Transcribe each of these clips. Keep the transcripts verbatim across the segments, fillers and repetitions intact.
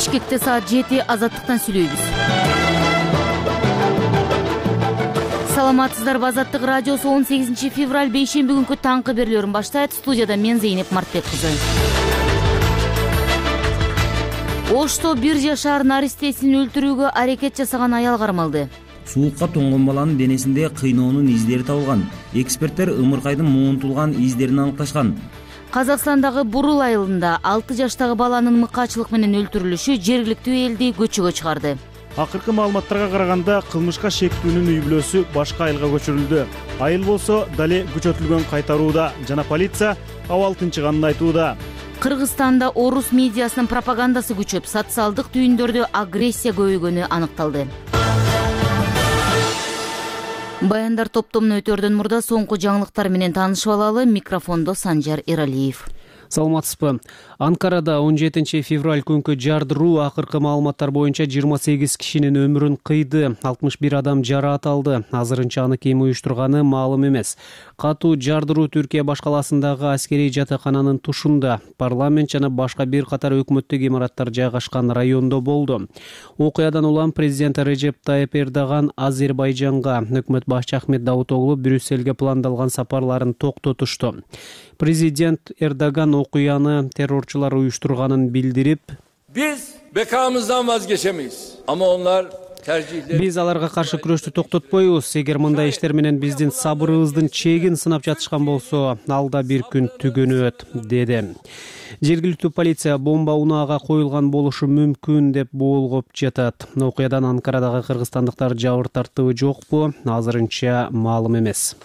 Бишкекте саат жети. Азаттыктан сүйлөйбүз. Саламатсыздарбы? Азаттык радиосу он сегизинчи февраль бейшемби күнкү таңкы берүүлөрүн баштайт. Студияда мен Зейнеп Мартбек кызы. Ошто бир жашар наристесин өлтүрүүгө аракет жасаган аял кармалды. Суукка тоңгон баланын денесинде кыйноонун издери табылган. Эксперттер ымыркайдын муунтулган издерин аныкташкан. Казакстандагы Бурул айылында алты жаштагы баланын мыкаачылык менен өлтүрүлүшү жергиликтүү элди көчөгө чыгарды. Акыркы маалыматтарга караганда кылмышка шектүүнүн үй бүлөсү башка айылга көчүрүлдү. Айыл болсо дале күчөтүлгөн кайтарууда жана полиция абал тынчыганын айтууда. Кыргызстанда орус медиасынын пропагандасы күчөп, социалдык түйүндөрдө агрессия көбөйгөнү аныкталды. Баяндар топтомуна өтөрдөн мурда соңку жаңылыктар менен таанышып алалы. Микрофондо Санжар Эралиев. Саламатсызбы? Анкарада он жетинчи февраль күнкү жардыруу акыркы маалыматтар боюнча жыйырма сегиз кишинин өмүрүн кыйды, алтымыш бир адам жараат алды. Азырынча аны ким уюштурганы маалым эмес. Катуу жардыруу Түркия башкаласындагы аскерий жатакананын тушунда, парламент жана башка бир катар өкмөттүк имараттар жайгашкан райондо болду. Окуядан улам президент Режеп Тайып Эрдоган Азербайжанга, өкмөт башчы Ахмет Давутоглу Брюссельге пландалган сапарларын токтотушту. Президент Эрдоган окуяны террорчулар уюштурганын билдирип, Biz bekamızdan vazgeçemeyiz. Ama onlar tercihleri... Биз аларга каршы күрөштү токтотпойбуз. Эгер мындай иштер менен биздин сабырыбыздын чегин сынап жатышкан болсо, алда бир күн түгөнөт, деди. Жергиликтүү полиция бомба унаага коюлган болушу мүмкүн деп болгоп жатат. Окуядан Анкарадагы кыргызстандыктар жабыр тартыбы жокпу? Азырынча маалым эмес.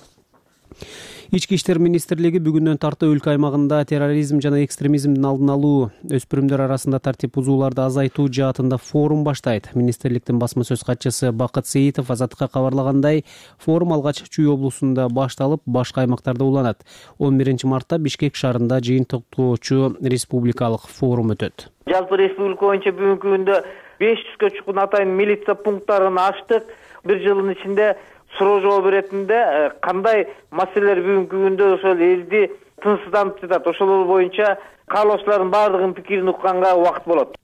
Ички иштер министрлиги бүгүндөн тарта өлкө аймагында терроризм жана экстремизмдин алдын алуу, өспүрүмдөр арасында тартип бузууларды азайтуу жаатында форум баштайт. Министрликтин басма сөз катчысы Бакыт Сейитов Азаттыкка кабарлагандай, форум алгач Чүй облусунда башталып, башка аймактарда уланат. он биринчи мартта Бишкек шаарында жыйынтыктоочу республикалык форум өтөт. Жалпы республика боюнча бүгүнкү күндө беш жүзгө чукун атайын милиция пункттарын ачтык. Бир жылдын ичинде суроо жооп беретинде кандай маселелер бүгүнкү күндө ошол элди тынчсыздантып жатат, ошол боюнча каалоочулардын баардыгынын пикирин укканга убакыт болот,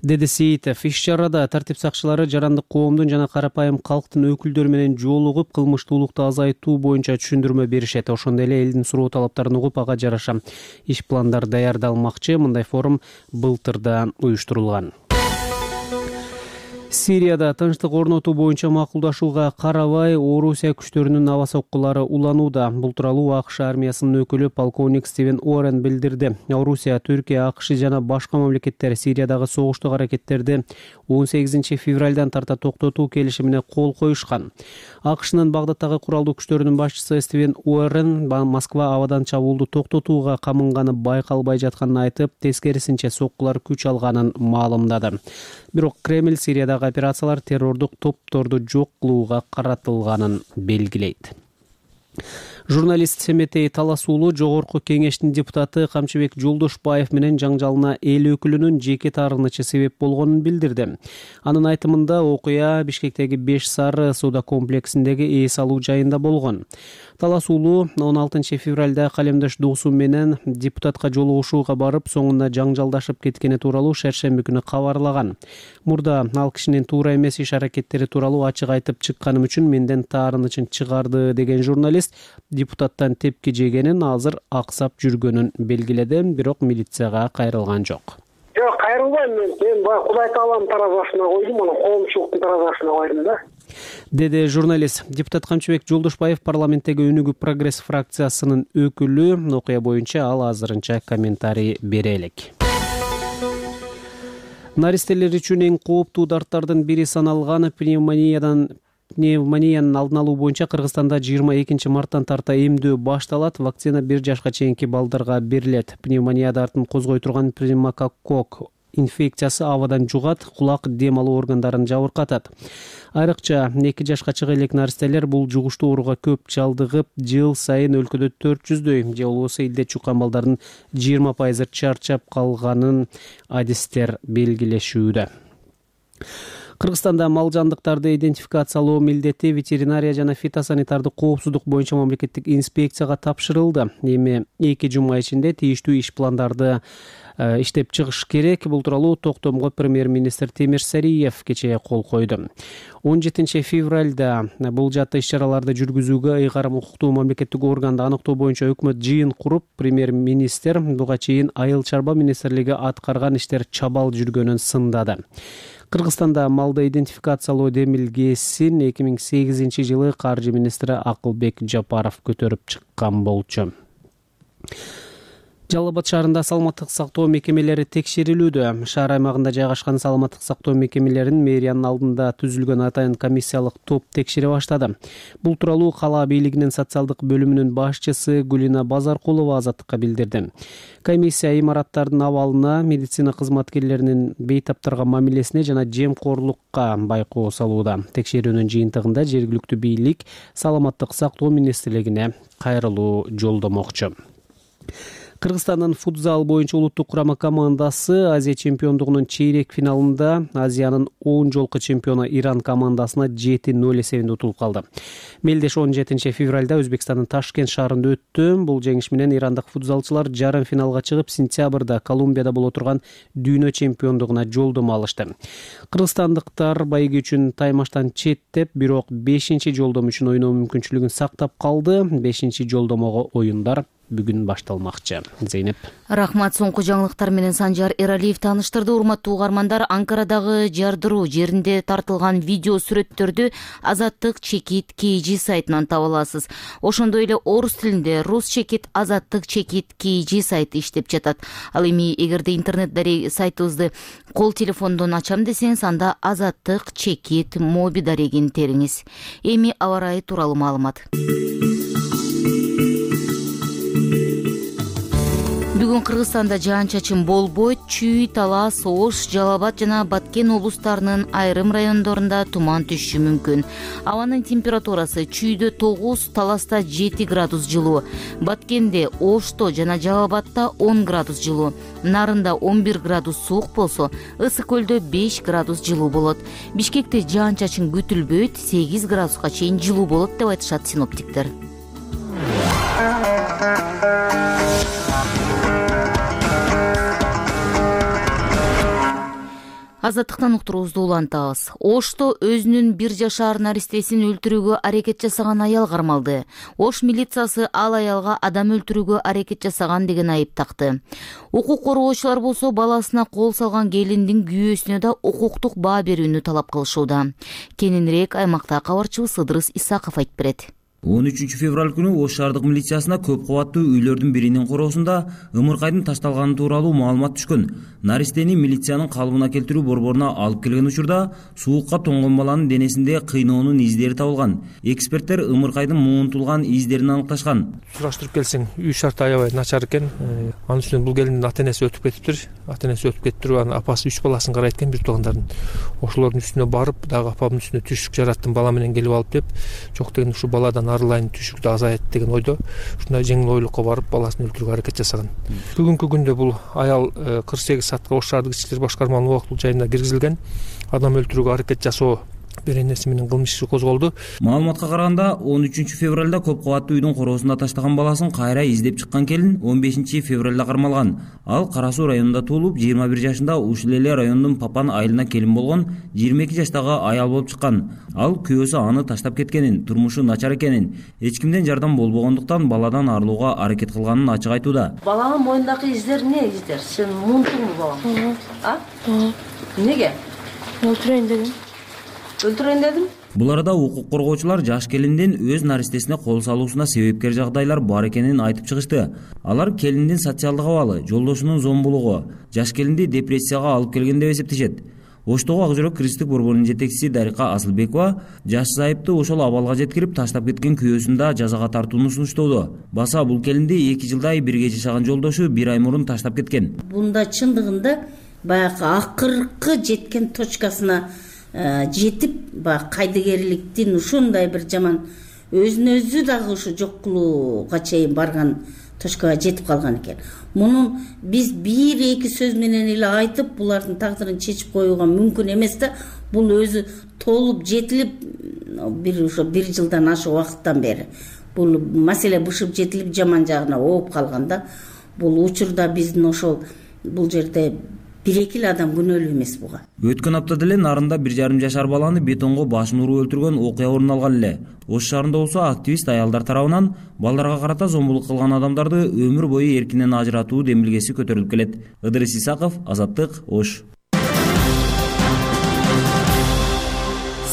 деди Сейитов. Иш-чарада тартип сакчылары жарандык коомдун жана карапайым калктын өкүлдөрү менен жолугуп, кылмыштуулукту азайтуу боюнча түшүндүрмө беришет. Ошондой эле элдин суроо талаптарын угуп, ага жараша иш пландар даярдалмакчы. Мындай форум былтырда уюштурулган. Сирияда тынчтык орнотуу боюнча макулдашууга карабай, Орусия күчтөрүнүн аба соккулары уланууда. Бул тууралуу АКШ армиясынын өкүлү полковник Стивен Уоррен билдирди. Орусия, Түркия, АКШ жана башка мамлекеттер Сириядагы согуштук аракеттерди он сегизинчи февралдан тарта токтотуу келишимине кол коюшкан. АКШнын Багдадтагы куралдуу күчтөрүнүн башчысы Стивен Уоррен Москва абадан чабуулду токтотууга камынганы байкалбай жатканын айтып, тескерисинче соккулар күч алганын маалымдады. Бирок Кремль Сириядагы операциялар террордук топторду жок кылууга каратылганын белгилейт. Журналист Семетей Таласуулу Жогорку кеңештин депутаты Камчыбек Жолдошбаев менен жаңжалына эл өкүлүнүн жеке таарынычы себеп болгонун билдирди. Анын айтымында окуя Бишкектеги Беш Сары сууда комплексиндеги эс алуу жайында болгон. Таласуулу он алтынчы февралда калемдеш доосу менен депутатка жолугушууга барып, соңунда жаңжалдашып кеткени тууралуу шаршемби күнү кабарлаган. Мурда ал кишинин туура эмес иш аракеттери тууралуу ачык айтып чыкканым үчүн менден таарынычын чыгарды деген журналист депутаттан тепки жегенин, азыр аксап жүргөнүн белгиледи, бирок милицияга кайрылган жок. Жок, кайрылбайм мен. Мен баягы Кудай Тааланын таразасына койдум, анан коомчулуктун таразасына койдум да. Деди журналист. Депутат Камчыбек Жолдошбаев парламенттеги Өнүгүү прогресс фракциясынын өкүлү. Окуя боюнча ал азырынча комментарий бере элек. Наристелер үчүн эң кооптуу дарттардын бири саналган пневмониядан Пневмониянын алдын алуу боюнча Кыргызстанда жыйырма экинчи марттан тарта эмдөө башталат. Вакцина бир жашка чейинки балдарга берилет. Пневмония дартын козгой турган пневмококк инфекциясы абадан жугат, кулак, дем алуу органдарын жабыркатат. Айрыкча эки жашка чыга элек наристелер бул жугуштуу ооруга көп чалдыгып, жыл сайын өлкөдө төрт жүздөй же болбосо илде чуккан балдардын жыйырма пайызы чарчап калганын адистер белгилешүүдө. Кыргызстанда мал жандыктарды идентификациялоо милдети ветеринария жана фитосанитардык коопсуздук боюнча мамлекеттик инспекцияга тапшырылды. Эми эки жума ичинде тийиштүү иш пландарды иштеп чыгыш керек. Бул тууралуу токтомго премьер-министр Темир Сариев кечээ кол койду. он жетинчи февралда бул жаатта иш-чараларды жүргүзүүгө ыйгарым укуктуу мамлекеттик органды аныктоо боюнча өкмөт жыйын куруп, премьер-министр буга чейин Айыл чарба министрлиги аткарган иштер чабал жүргөнүн сындады. Кыргызстанда малды идентификациялоо демилгесин эки миң сегизинчи жылы каржы министри Акылбек Жапаров көтөрүп чыккан болчу. Жалал Абад шаарында саламаттык сактоо мекемелери текшерилүүдө. Шаар аймагында жайгашкан саламаттык сактоо мекемелерин мэриянын алдында түзүлгөн атайын комиссиялык топ текшере баштады. Бул тууралуу кала бийлигинин социалдык бөлүмүнүн башчысы Гүлина Базаркулова Азаттыкка билдирди. Комиссия имараттардын абалына, медицина кызматкерлеринин бейтаптарга мамилесине жана жемкорлукка байкоо салууда. Текшерүүнүн жыйынтыгында жергиликтүү бийлик саламаттык сактоо министрлигине кайрылуу жолдомокчу. Кыргызстандын футзал боюнча улуттук курама командасы Азия чемпиондугунун чейрек финалында Азиянын он жолку чемпиону Иран командасына жети ноль эсебинде утулуп калды. Мелдеш он жетинчи февралда Өзбекстандын Ташкент шаарында өттү. Бул жеңиш менен ирандык футзалчылар жарым финалга чыгып, сентябрда Колумбияда боло турган дүйнө чемпиондугуна жолдомо алышты. Кыргызстандыктар байге үчүн таймаштан четтеп, бирок бешинчи жолдом үчүн ойноо мүмкүнчүлүгүн сактап калды. бешинчи жолдомого оюндар бүгүн башталмакчы. Зейнеп. Рахмат. Соңку жаңылыктар менен Санжар Эралиев тааныштырды. Урматтуу угармандар, Анкарадагы жардыруу жеринде тартылган видео сүрөттөрдү Азаттык чекит кей жи сайтынан таба аласыз. Ошондой эле орус тилинде Рус чекит Азаттык чекит кей жи сайты иштеп жатат. Ал эми эгерде интернет дарек сайтыбызды кол телефондон ачам десеңиз, анда Азаттык чекит моби дарегин териңиз. Эми аба ырайы тууралуу маалымат. Бүгүн Кыргызстанда жаан-чачын болбойт. Чүй, Талас, Ош, Жалал Абад жана Баткен облустарынын айрым райондорунда туман түшүшү мүмкүн. Абанын температурасы Чүйдө тогуз, Таласта жети градус жылуу, Баткенде, Ошто жана Жалал Абадта он градус жылуу, Нарында он бир градус суук болсо, Ысык көлдө беш градус жылуу болот. Бишкекте жаан-чачын күтүлбөйт, сегиз градуска чейин жылуу болот деп айтышат синоптиктер. Азаттыктан уктуруубузду улантабыз. Ошто өзүнүн бир жашар наристесин өлтүрүүгө аракет жасаган аял кармалды. Ош милициясы ал аялга адам өлтүрүүгө аракет жасаган деген айып такты. Укук коргоочулар болсо баласына кол салган келиндин күйөөсүнө да укуктук баа берүүнү талап кылышууда. Кененирээк аймакта кабарчыбыз Ыдырыс Исаков айтып берет. он үчүнчү февраль күнү Ош шаардык милициясына көп кабаттуу үйлөрдүн биринин короосунда ымыркайдын ташталганы тууралуу маалымат түшкөн. Наристени милициянын калыбына келтирүү борборуна алып келген учурда суукка тоңгон баланын денесинде кыйноонун издери табылган. Эксперттер ымыркайдын муунтулган издерин аныкташкан. Сураштырып келсең, үй шарты аябай начар экен. Анын үстүнөн бул келиндин ата-энеси өтүп кетиптир. Ата-энеси өтүп кетиптир, анын апасы үч баласын карайт экен, бир туугандардын. Ошолордун үстүнө барып, дагы апамдын үстүнө түшүк жараттым, бала менен келип алып деп, жок деген ушу баладан арылайын, түшүктү азаят деген ойдо ушундай жеңил ойлукка барып баласын өлтүрүүгө аракет жасаган. Бүгүнкү күндө бул аял кырк сегиз саатка Ош шаардык ички иштер башкармалыгынын убактылуу жайына киргизилген. Адам өлтүрүүгө аракет жасоо беренеси менен кылмыш иши козголду. Маалыматка караганда он үчүнчү февралда көп кабаттуу үйдүн короосунда таштаган баласын кайра издеп чыккан келин он бешинчи февралда кармалган. Ал Кара Суу районунда туулуп, жыйырма бир жашында ушул эле райондун Папан айылына келин болгон жыйырма эки жаштагы аял болуп чыккан. Ал күйөөсү аны таштап кеткенин, турмушу начар экенин, эч кимден жардам болбогондуктан баладан арылууга аракет кылганын ачык айтууда. Баланын моюндагы издер эмне издер? Сен муунтуңбу балам? А? Неге? Өлтүрөйүн дедим. Өлтүрөйүн дедим. Бул арада укук коргоочулар жаш келиндин өз наристесине кол салуусуна себепкер жагдайлар бар экенин айтып чыгышты. Алар келиндин социалдык абалы, жолдошунун зомбулугу, жаш келинди депрессияга алып келген деп эсептешет. Оштогу Ак жүрөк кыргыздык борборунун жетекчиси Дарика Асылбекова жаш зайыпты ошол абалга жеткирип таштап кеткен күйөөсүн да жазага тартууну сунуштоодо. Баса бул келинди эки жылдай бирге жашаган жолдошу бир ай мурун таштап кеткен. Бунда чындыгында баягы акыркы жеткен точкасына жетип, баягы кайдыгерликтин ушундай бир жаман өзүн өзү дагы ушу жок кылууга чейин барган точкага жетип калган экен. Мунун биз бир эки сөз менен эле айтып булардын тагдырын чечип коюуга мүмкүн эмес да. Бул өзү толуп жетилип бир ошо бир жылдан ашык убакыттан бери бул маселе бышып жетилип жаман жагына ооп калган да. Бул учурда биздин ошол бул жерде бир эки эле адам күнөөлүү эмес буга. Өткөн апта деле Нарында бир жарым жашар баланы бетонго башын уруп өлтүргөн окуя орун алган эле. Ош шаарында болсо активист аялдар тарабынан балдарга карата зомбулук кылган адамдарды өмүр бою эркинен ажыратуу демилгеси көтөрүлүп келет. Ыдырыс Исаков, Азаттык, Ош.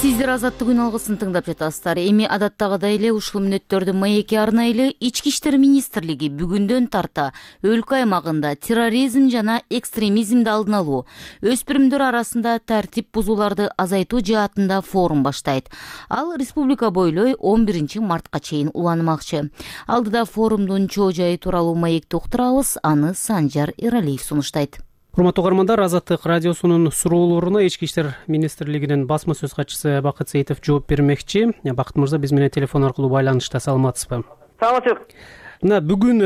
Сиздер Азаттык күн алгысын тыңдап жатасыздар. Эми адаттагыдай эле ушул мүнөттөрдү маекке арнайлы Ички иштер министрлиги бүгүндөн тарта өлкө аймагында терроризм жана экстремизмди алдын алуу, өспүрүмдөр арасында тартип бузууларды азайтуу жаатында форум баштайт. Ал республика бойлой он биринчи мартка чейин уланмакчы. Алдыда форумдун чоо жайы тууралуу маекти уктурабыз, аны Санжар Эралиев сунуштайт. Урматтуу угармандар, Азаттык радиосунун суроолоруна Ички иштер министрлигинин басма сөз катчысы Бакыт Сейитов жооп бермекчи. Бакыт мырза, биз менен телефон аркылуу байланышта, саламатсызбы? Саламатсызбы. Мына бүгүн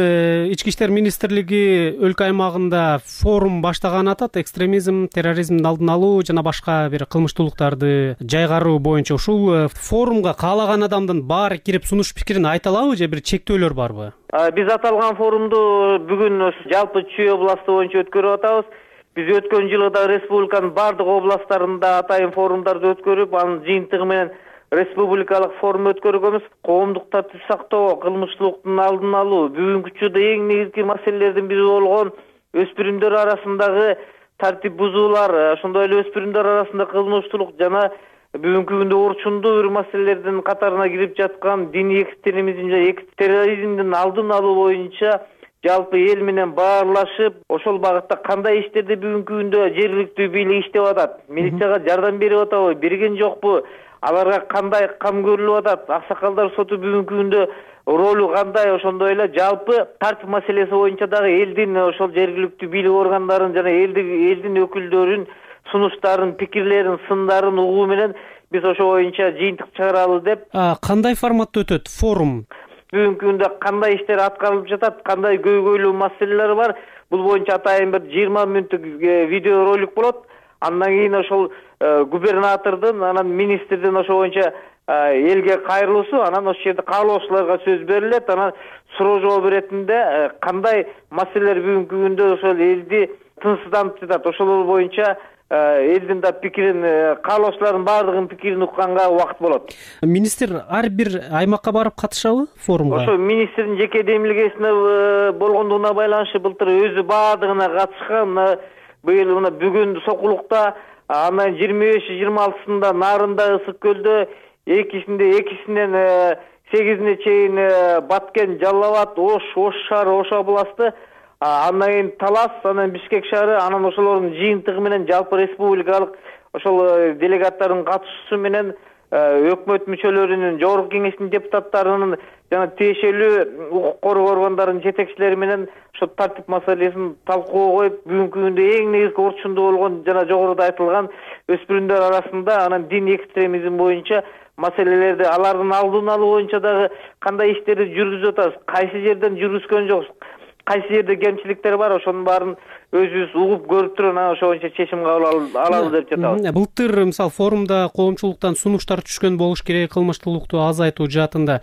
Ички иштер министрлиги өлкө аймагында форум баштаган атат. Экстремизм, терроризмдин алдын алуу жана башка бир кылмыштуулуктарды жайгаруу боюнча. Ушул форумга каалаган адамдын баары кирип сунуш пикирин айта алабы же бир чектөөлөр барбы? Биз аталган форумду бүгүн жалпы Чүй областы боюнча өткөрүп атабыз. Биз өткөн жылы да республиканын бардык областтарында атайын форумдарды өткөрүп, анын жыйынтыгы менен республикалык форум өткөргөнбүз. Коомдук тартип сактоо, кылмыштуулуктун алдын алуу, бүгүнкү учурда эң негизги маселелердин бири болгон өспүрүмдөр арасындагы тартип бузуулар, ошондой эле өспүрүмдөр арасында кылмыштуулук жана бүгүнкү күндө орчундуу бир маселелердин катарына кирип жаткан диний экстремизм жана терроризмдин алдын алуу боюнча жалпы эл менен баарлашып, ошол багытта кандай иштерди бүгүнкү күндө жергиликтүү бийлик иштеп атат, милицияга жардам берип атабы, берген жокпу, аларга кандай кам көрүлүп атат, аксакалдар соту бүгүнкү күндө ролу кандай, ошондой эле жалпы тартип маселеси боюнча дагы элдин ошол жергиликтүү бийлик органдарын жана элдин өкүлдөрүн сунуштарын, пикирлерин, сындарын угуу менен биз ошо боюнча жыйынтык чыгаралы деп. Кандай форматта өтөт форум? Бүгүнкү күндө кандай иштер аткарылып жатат, кандай көйгөйлүү маселелер бар, бул боюнча атайын бир жыйырма мүнөттүк видео ролик болот. Андан кийин ошол губернатордун, анан министрдин ошо боюнча элге кайрылуусу, анан ошол жерде каалоочуларга сөз берилет, анан суроо жооп иретинде кандай маселелер бүгүнкү күндө ошол элди тынчсыздантып жатат, ошол боюнча элдин да пикирин, каалоочулардын баардыгынын пикирин укканга убакыт болот. Министр ар бир аймакка барып катышабы форумга? Ошо министрдин жеке демилгесине болгондугуна байланыштуу былтыр өзү баардыгына катышкан. Быйыл мына бүгүн Сокулукта, андан жыйырма беши жыйырма алтысында Нарында, Ысык көлдө, экисинде экисинен сегизине чейин Баткен, Жалал абад, Ош, Ош шаары, Ош областы, андан кийин Талас, анан Бишкек шаары, анан ошолордун жыйынтыгы менен жалпы республикалык ошол делегаттардын катышуусу менен өкмөт мүчөлөрүнүн, жогорку кеңештин депутаттарынын жана тиешелүү укук коргоо органдарынын жетекчилери менен ошо тартип маселесин талкууга коюп, бүгүнкү күндө эң негизги орчундуу болгон жана жогоруда айтылган өспүрүмдөр арасында анан дин экстремизм боюнча маселелерди, алардын алдын алуу боюнча дагы кандай иштерди жүргүзүп атабыз, кайсы жерден жүргүзгөн жокпуз, кайсы жерде кемчиликтер бар, ошонун баарын өзүбүз угуп көрүп туруп анан ошо боюнча чечим кабыл алалы деп жатабыз. Былтыр мисалы форумда коомчулуктан сунуштар түшкөн болуш керек, кылмыштуулукту азайтуу жаатында.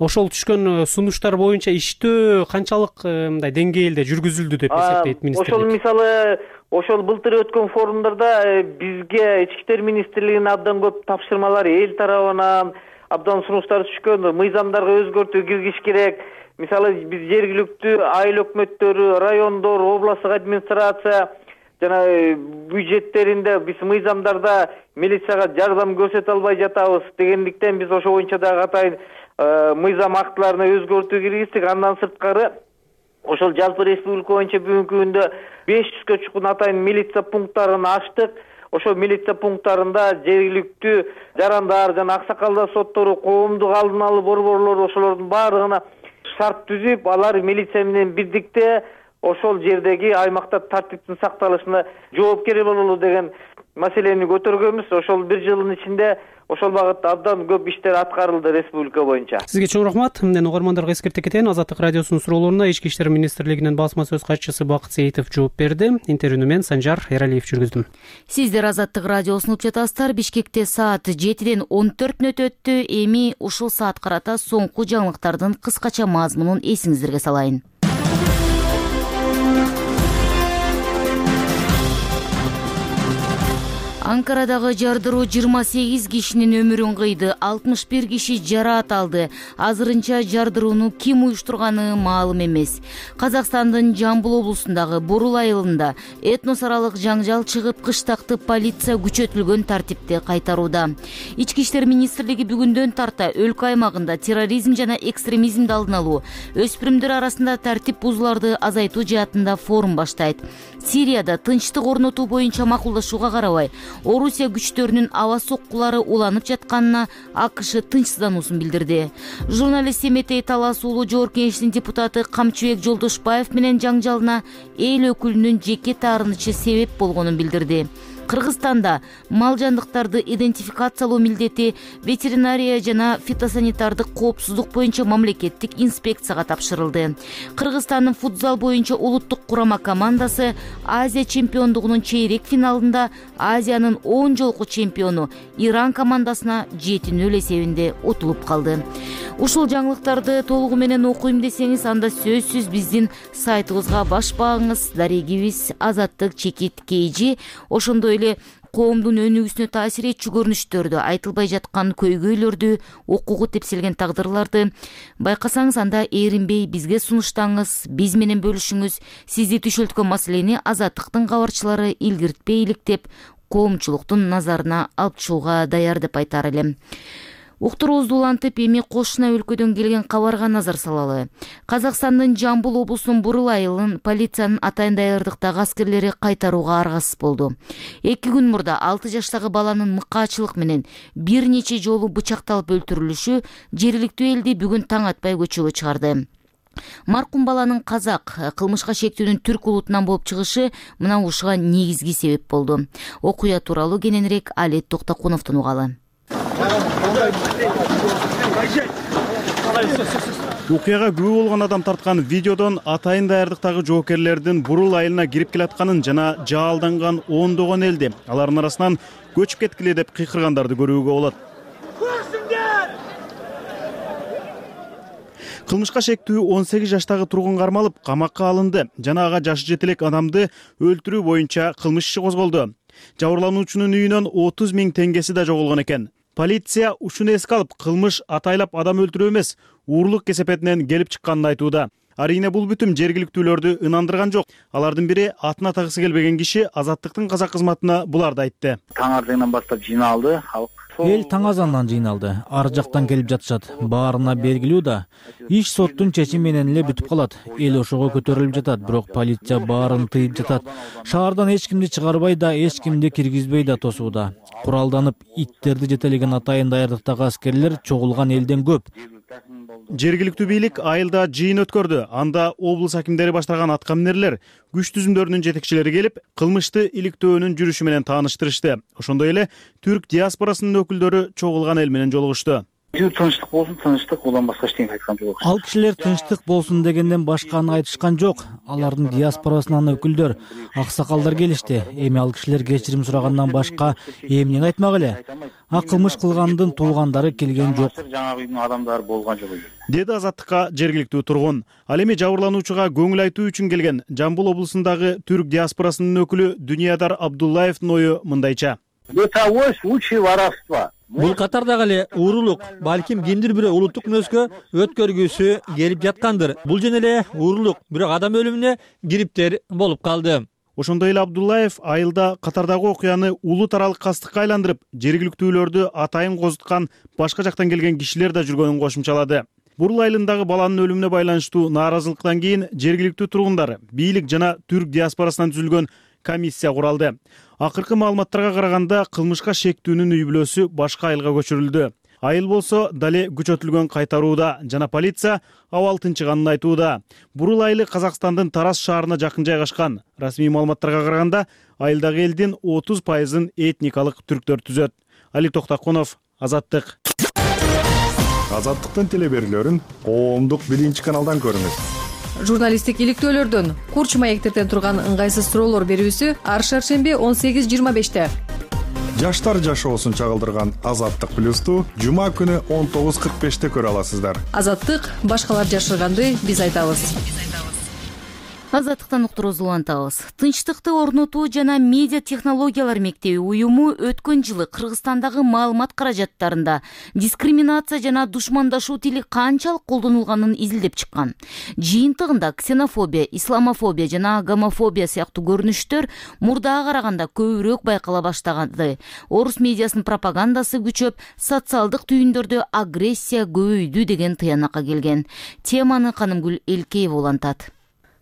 Ошол түшкөн сунуштар боюнча иштөө канчалык мындай деңгээлде жүргүзүлдү деп эсептейт министрлик? Ошол мисалы ошол былтыр өткөн форумдарда бизге Ички иштер министрлигинин абдан көп тапшырмалары эл тарабынан абдан сунуштар түшкөн, мыйзамдарга өзгөртүү киргизиш керек. Мисалы биз жергиликтүү айыл өкмөттөрү, райондор, областтык администрация жана бюджеттеринде биз мыйзамдарда милицияга жардам көрсөтө албай жатабыз дегендиктен биз ошо боюнча дагы атайын мыйзам актыларына өзгөртүү киргиздик. Андан сырткары ошол жалпы республика боюнча бүгүнкү күндө беш жүзгө чукун атайын милиция пункттарын ачтык. Ошо милиция пункттарында жергиликтүү жарандар жана аксакалдар соттору, коомдук алдын алуу борборлору ошолордун баардыгына шарт түзүп, алар милиция менен бирдикте ошол жердеги аймакта тартиптин сакталышына жоопкер бололу деген маселени көтөргөнбүз. Ошол бир жылдын ичинде ошол багытта абдан көп иштер аткарылды республика боюнча. Сизге чоң рахмат. Мындан угармандарга эскерте кетейин. Азаттык радиосунун суроолоруна Ички иштер министрлигинин басма сөз катчысы Бакыт Сейитов жооп берди. Интервьюну мен Санжар Эралиев жүргүздүм. Сиздер Азаттык радиосун угуп жатасыздар. Бишкекте саат жетиден он төрт мүнөт өттү. Эми ушул саат карата соңку жаңылыктардын кыскача мазмунун эсиңиздерге салайын. Анкарадагы жардыруу жыйырма сегиз кишинин өмүрүн кыйды, алтымыш бир киши жараат алды. Азырынча жардырууну ким уюштурганы маалым эмес. Казакстандын Жамбыл облусундагы Бурул айылында этнос аралык жаңжал чыгып, кыштакты полиция күчөтүлгөн тартипте кайтарууда. Ички иштер министрлиги бүгүндөн тарта өлкө аймагында терроризм жана экстремизмди алдын алуу, өспүрүмдөр арасында тартип бузууларды азайтуу жаатында форум баштайт. Сирияда тынчтык орнотуу боюнча макулдашууга карабай, Орусия күчтөрүнүн аба соккулары уланып жатканына АКШ тынчсыздануусун билдирди. Журналист Семетей Талас уулу Жогорку Кеңештин депутаты Камчыбек Жолдошбаев менен жаңжалына эл өкүлүнүн жеке таарынычы себеп болгонун билдирди. Кыргызстанда мал жандыктарды идентификациялоо милдети ветеринария жана фитосанитардык коопсуздук боюнча мамлекеттик инспекцияга тапшырылды. Кыргызстандын футзал боюнча улуттук курама командасы Азия чемпиондугунун чейрек финалында Азиянын он жолку чемпиону Иран командасына жети нөл эсебинде утулуп калды. Ушул жаңылыктарды толугу менен окуйм десеңиз, анда сөзсүз биздин сайтыбызга баш багыңыз. Дарегибиз Азаттык Чекит Кейжи. Ошондой эле коомдун өнүгүүсүнө таасир этчү көрүнүштөрдү, айтылбай жаткан көйгөйлөрдү, укугу тепселген тагдырларды байкасаңыз, анда эринбей бизге сунуштаңыз, биз менен бөлүшүңүз. Сизди түшөлткөн маселени Азаттыктын кабарчылары илгиртпей иликтеп, коомчулуктун назарына алып чыгууга даяр деп айтар элем. Уктуруубузду улантып, эми кошуна өлкөдөн келген кабарга назар салалы. Казакстандын Жамбыл облусунун Бурул айылын полициянын атайын даярдыктагы аскерлери кайтарууга аргасыз болду. Эки күн мурда алты жаштагы баланын мыкаачылык менен бир нече жолу бычакталып өлтүрүлүшү жергиликтүү элди бүгүн таң атпай көчөгө чыгарды. Маркум баланын казак, кылмышка шектүүнүн түрк улутунан болуп чыгышы мына ушуга негизги себеп болду. Окуя тууралуу кененирээк Алет Токтокуновдон угалы. Окуяга күбө болгон адам тарткан видеодон атайын даярдыктагы жоокерлердин Бурул айылына кирип келатканын жана жаалданган ондогон элди, алардын арасынан көчүп кеткиле деп кыйкыргандарды көрүүгө болот. Кылмышка шектүү он сегиз жаштагы тургун кармалып, камакка алынды жана ага жашы жете элек адамды өлтүрүү боюнча кылмыш иши козголду. Жабырлануучунун үйүнөн отуз миң теңгеси да жоголгон экен. Полиция ушуну эске алып, кылмыш атайлап адам өлтүрүү эмес, уурлук кесепетинен келип чыкканын айтууда. Арийне бул бүтүм жергиликтүүлөрдү ынандырган жок. Алардын бири атын атагысы келбеген киши Азаттыктын казак кызматына буларды айтты. Таң ардыңдан баштап жыйналды халык. Эл таң азандан жыйналды. Ар жактан келип жатышат. Баарына белгилүү да. Иш соттун чечими менен эле бүтүп калат. Эл ошого көтөрүлүп жатат, бирок полиция баарын тыйып жатат. Шаардан эч кимди чыгарбай да, эч кимди киргизбей да тосууда. Куралданып иттерди жетелеген атайын даярдыктагы аскерлер чогулган элден көп. Жергиликтүү бийлик айылда жыйын өткөрдү. Анда облус акимдери баштаган аткаминерлер, күч түзүмдөрүнүн жетекчилери келип, кылмышты иликтөөнүн жүрүшү менен тааныштырышты. Ошондой эле түрк диаспорасынын өкүлдөрү чогулган эл менен жолугушту. Тынчтык болсун, тынчтык, улам башка эчтеке айткан жок. Ал кишилер тынчтык болсун дегенден башканы айтышкан жок. Алардын диаспорасынан өкүлдөр, аксакалдар келишти. Эми ал кишилер кечирим сурагандан башка эмнени айтмак эле? А кылмыш кылгандын туугандары келген жок. Жаңа үйдүн адамдары болгон жок. Деди Азаттыкка жергиликтүү тургун. Ал эми жабырлануучуга көңүл айтуу үчүн келген Жамбыл облусундагы түрк диаспорасынын өкүлү Дүниядар Абдуллаевдин ою мындайча. Бытовой случай воровства. Бул катардагы эле уурулук, балким кимдир бирөө улуттук мүнөзгө өткөргүсү келип жаткандыр. Бул жөн эле уурулук, бирок адам өлүмүнө кириптер болуп калды. Ошондой эле Абдуллаев айылда катардагы окуяны улут аралык кастыкка айландырып, жергиликтүүлөрдү атайын козуткан башка жактан келген кишилер да жүргөнүн кошумчалады. Бурул айылындагы баланын өлүмүнө байланыштуу нааразылыктан кийин жергиликтүү тургундар, бийлик жана түрк диаспорасынан түзүлгөн комиссия куралды. Акыркы маалыматтарга караганда кылмышка шектүүнүн үй бүлөсү башка айылга көчүрүлдү. Айыл болсо дале күчөтүлгөн кайтарууда жана полиция абал тынчыганын айтууда. Бурул айылы Казакстандын Тарас шаарына жакын жайгашкан. Расмий маалыматтарга караганда, айылдагы элдин отуз пайызын этникалык түрктөр түзөт. Али Токтакунов, Азаттык. Азаттыктын телеберүүлөрүн коомдук биринчи каналдан көрүңүз. Журналисттик иликтөөлөрдөн курч маектерден турган ыңгайсыз суроолор берүүсү ар шаршемби он сегиз жыйырма беште. Жаштар жашоосун чагылдырган Азаттык плюсту жума күнү он тогуз кырк беште көрө аласыздар. Азаттык башкалар жашырганды биз айтабыз. Азаттыктан уктуруубузду улантабыз. Тынчтыкты орнотуу жана медиа технологиялар мектеби уюму өткөн жылы Кыргызстандагы маалымат каражаттарында дискриминация жана душмандашуу тили канчалык колдонулганын изилдеп чыккан. Жыйынтыгында ксенофобия, исламофобия жана гомофобия сыяктуу көрүнүштөр мурдага караганда көбүрөөк байкала баштаганы. Орус медиасынын пропагандасы күчөп, социалдык түйүндөрдө агрессия көбөйдү деген тыянакка келген. Теманы Канымгүл Элкеева улантат.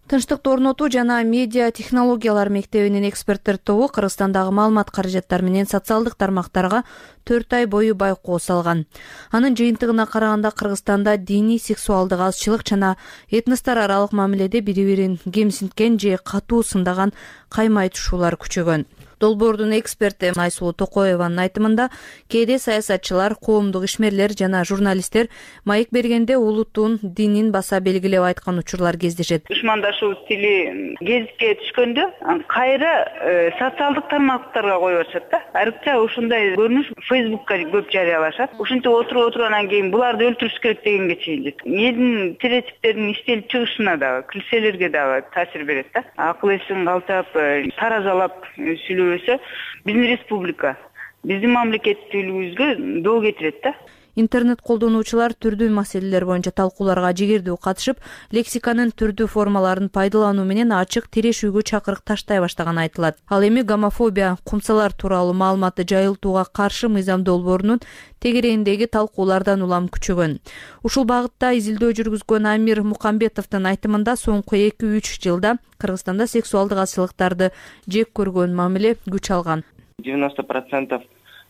Тынчтыкты орнотуу жана медиа технологиялар мектебинин эксперттер тобу Кыргызстандагы маалымат каражаттары менен социалдык тармактарга төрт ай бою байкоо салган. Анын жыйынтыгына караганда Кыргызстанда диний, сексуалдык азчылык жана этностор аралык мамиледе бири-бирин кемсинткен же катуу сындаган кайма айтышуулар күчөгөн. Долбоордун эксперти Айсулуу Токоеванын айтымында, кээде саясатчылар, коомдук ишмерлер жана журналисттер маек бергенде улуттун динин баса белгилеп айткан учурлар кездешет. Душмандашуу тили гезитке түшкөндө кайра социалдык тармактарга коюп атышат да. Айрыкча ушундай көрүнүш Фейсбукка көп жарыялашат. Ушинтип отуруп отургандан кийин буларды өлтүрүш керек дегенге чейин жетет. Элдин стереотиптердин иштелип чыгышына дагы, килселерге дагы таасир берет да. Акыл эсин калтап, таразалап сүйлөбөсө биздин республика, биздин мамлекеттүүлүгүбүзгө доо кетирет да. Интернет колдонуучулар түрдүү маселелер боюнча талкууларга жигердүү катышып, лексиканын түрдүү формаларын пайдалануу менен ачык тирешүүгө чакырык таштай баштаганы айтылат. Ал эми гомофобия, кумсалар тууралуу маалыматты жайылтууга каршы мыйзам долбоорунун тегерегиндеги талкуулардан улам күчөгөн. Ушул багытта изилдөө жүргүзгөн Амир Мукамбетовдун айтымында соңку эки үч жылда Кыргызстанда сексуалдык азчылыктарды жек көргөн мамиле күч алган. девяносто процентов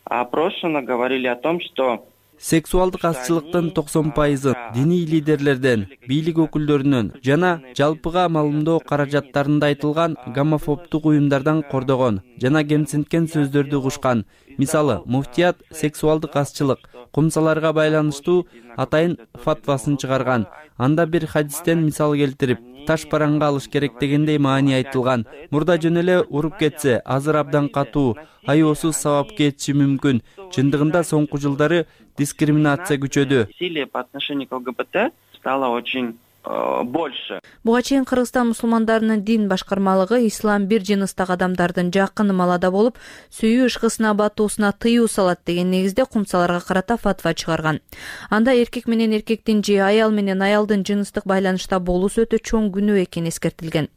опрошенных говорили о том, что сексуалдык азчылыктын токсон пайызы диний лидерлерден, бийлик өкүлдөрүнөн жана жалпыга маалымдоо каражаттарында айтылган гомофобдук уюмдардан кордогон жана кемсинткен сөздөрдү угушкан. Мисалы, муфтият сексуалдык азчылык, кумсаларга байланыштуу атайын фатвасын чыгарган. Анда бир хадистен мисал келтирип, таш параңга алыш керек дегендей маани айтылган. Мурда жөн эле уруп кетсе, азыр абдан катуу, айоосуз сабап кетиши мүмкүн. Чындыгында соңку жылдары дискриминация күчөдү. Насилие по отношению к ЛГБТ стало очень больше. Буга чейин Кыргызстан мусулмандарынын дин башкармалыгы ислам бир жыныстагы адамдардын жакын малада болуп, сүйүү ышкысына батуусуна тыюу салат деген негизде кумсаларга карата фатва чыгарган. Анда эркек менен эркектин же аял менен аялдын жыныстык байланышта болуусу өтө чоң күнөө экени эскертилген.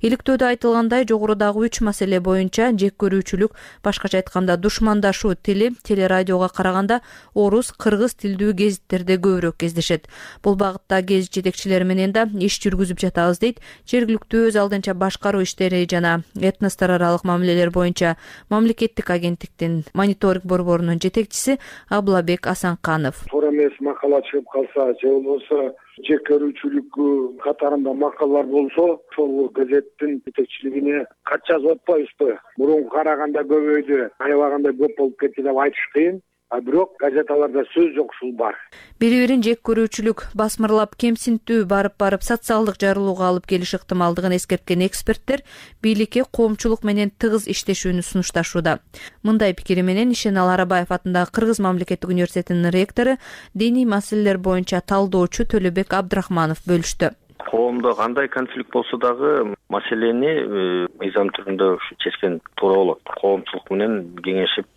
Иликтөөдө айтылгандай, жогорудагы үч маселе боюнча жек көрүүчүлүк, башкача айтканда душмандашуу тили телерадиого караганда орус, кыргыз тилдүү гезиттерде көбүрөөк кездешет. Бул багытта гезит жетекчилери менен да иш жүргүзүп жатабыз дейт жергиликтүү өз алдынча башкаруу иштери жана этностор аралык мамилелер боюнча мамлекеттик агенттиктин мониторинг борборунун жетекчиси Аблабек Асанканов. Туура эмес макала чыгып калса же болбосо жек көрүүчүлүк катарында макалалар болсо, ошол газеттин жетекчилигине кат жазып атпайбызбы? Мурунку караганда көбөйдү, аябагандай көп болуп кетти деп айтыш кыйын. А бирок газеталарда сөз жок, ушул бар. Бири-бирин жек көрүүчүлүк, басмырлап, кемсинтүү барып-барып социалдык жарылууга алып келиш ыктымалдыгын эскерткен эксперттер бийликке коомчулук менен тыгыз иштешүүнү сунушташууда. Мындай пикири менен Ишенал Арабаев атындагы Кыргыз мамлекеттик университетинин ректору, диний маселелер боюнча талдоочу Төлөбек Абдрахманов бөлүштү. Коомдо кандай конфликт болсо дагы маселени мыйзам түрүндө ушу чечкен туура болот. Коомчулук менен кеңешип,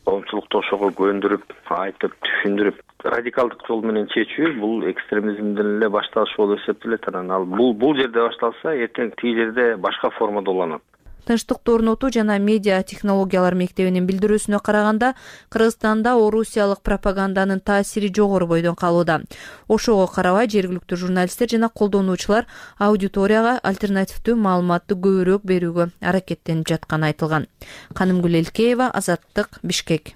коомчулукту ошого көндүрүп, айтып, түшүндүрүп, радикалдык жол менен чечүү бул экстремизмден эле башталыш болуп эсептелет. Анан ал бул бул жерде башталса, эртең тиги жерде башка формада уланат. Тынчтыкты орнотуу жана медиа технологиялар мектебинин билдирүүсүнө караганда, Кыргызстанда орусиялык пропаганданын таасири жогору бойдон калууда. Ошого карабай жергиликтүү журналисттер жана колдонуучулар аудиторияга альтернативдүү маалыматты көбүрөөк берүүгө аракеттенип жатканы айтылган. Канымгүл Элкеева, Азаттык, Бишкек.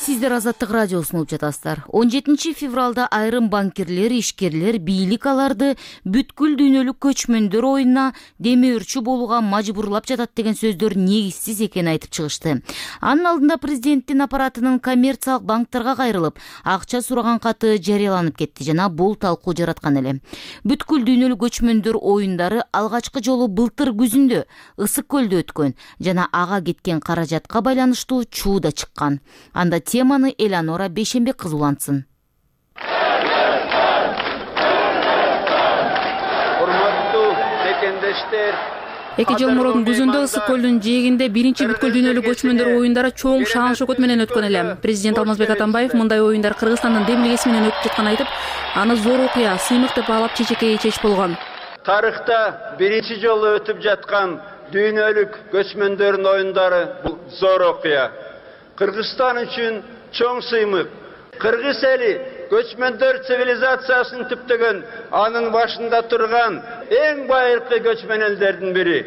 сиздер Азаттык радиосун угуп жатасыздар. он жетинчи февралда айрым банкирлер, ишкерлер бийлик аларды бүткүл дүйнөлүк көчмөндөр оюнуна демөөрчү болууга мажбурлап жатат деген сөздөр негизсиз экенин айтып чыгышты. Анын алдында президенттин аппаратынын коммерциялык банктарга кайрылып, акча сураган каты жарыяланып кетти жана бул талкуу жараткан эле. Бүткүл дүйнөлүк көчмөндөр оюндары алгачкы жолу былтыр күзүндө Ысык көлдө өткөн жана ага кеткен каражатка байланыштуу чуу да чыккан. Анда теманы Элеонора Бейшенбек кызы улантсын. Урматтуу мекендештер, эки жыл мурун күзүндө Ысык көлдүн жээгинде биринчи бүткүл дүйнөлүк көчмөндөр оюндары чоң шаан шөкөт менен өткөн эле. Президент Алмазбек Атамбаев мындай оюндар Кыргызстандын демилгеси менен өтүп жатканын айтып, аны зор окуя, сыймык деп баалап чечекей чеч болгон. Тарыхта биринчи жолу өтүп жаткан дүйнөлүк көчмөндөрдүн оюндары бул зор окуя. Кыргызстан үчүн чоң сыймык. Кыргыз эли көчмөндөр цивилизациясын түптөгөн, анын башында турган эң байыркы көчмөн элдердин бири.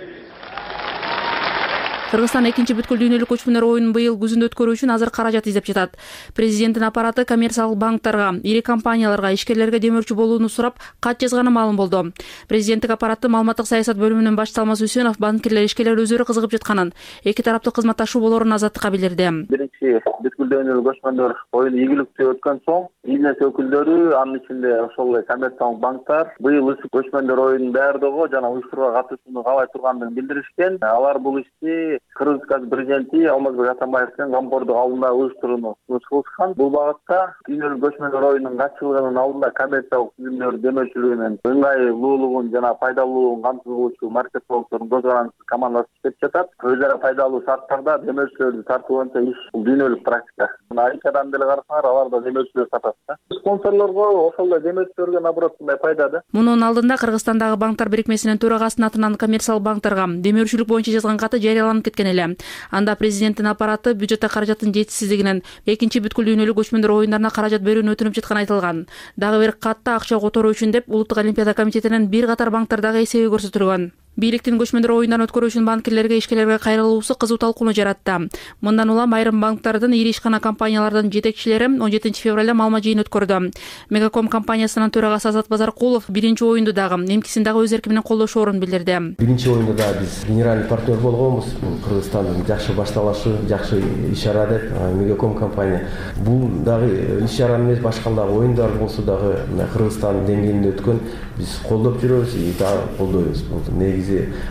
Кыргызстан экинчи бүткүл дүйнөлүк көчмөндөр оюнун быйыл күзүндө өткөрүү үчүн азыр каражат издеп жатат. Президенттин аппараты коммерциялык банктарга, ири компанияларга, ишкерлерге демөөрчү болууну сурап, кат жазганы маалым болду. Президенттик аппараты маалыматтык саясат бөлүмүнүн башчысы Алмаз Үсөнов банкирлер, ишкерлер өздөрү кызыгып жатканын, эки тараптуу кызматташуу болорун Азаттыкка билдирди. Биринчи бүткүл дүйнөлүк көчмөндөр оюну ийгиликтүү өткөн соң, бизнес өкүлдөрү, анын ичинде ошол эле коммерциялык банктар быйыл Ысык көчмөндөр оюнун даярдоого жана уюштурууга катышууну каалай тургандыгын билдиришкен. Алар бул ишти Кыргыз президенти Алмазбек Атамбаевдин камкордук алдында уюштурууну сунуш кылышкан. Бул багытта дүйнөлүк көчмөндөр оюнунун катчылыгынын алдында коммерциялык түзүмдөр демөөрчүлүгүнүн ыңгайлуулугун жана пайдалуулугун камсыз кылуучу маркетологдордун көз карандысыз командасы иштеп жатат. Өз ара пайдалуу шарттарда демөөрчүлөрдү тартуу боюнча иш бул дүйнөлүк практика. Айкадан деле карасаңар, алар да демөөрчүлөр сатат да. Спонсорлорго, ошол эле демөөрчүлөргө наоборот мындай пайда да. Мунун алдында Кыргызстандагы банктар бирикмесинин төрагасынын атынан коммерциялык банктарга демөөрчүлүк боюнча жазган каты жарыяланып кеткен эле. Анда президенттин аппараты бюджетте каражаттын жетишсиздигинен экинчи бүткүл дүйнөлүк көчмөндөр оюндарына каражат берүүнү өтүнүп жатканы айтылган. Дагы бир катта акча которуу үчүн деп Улуттук олимпиада комитетинин бир катар банктардагы эсеби көрсөтүлгөн. Бийликтин көчмөндөр оюндарын өткөрүү үчүн банкирлерге, ишкерлерге кайрылуусу кызуу талкууну жаратты. Мындан улам айрым банктардын, ири ишкана компаниялардын жетекчилери он жетинчи февралда маалымат жыйын өткөрдү. Мегаком компаниясынын төрагасы Азат Базаркулов биринчи оюнду дагы, эмкисин дагы өз эрки менен колдошоорун билдирди. Биринчи оюнда да биз генеральный партнер болгонбуз. Кыргызстандын жакшы башталышы, жакшы иш-чара деп Мегаком компания. Бул дагы иш-чара эмес, башка дагы оюндар болсо дагы Кыргызстан деңгээлинде өткөн биз колдоп жүрөбүз, и дагы колдойбуз. Бул негизи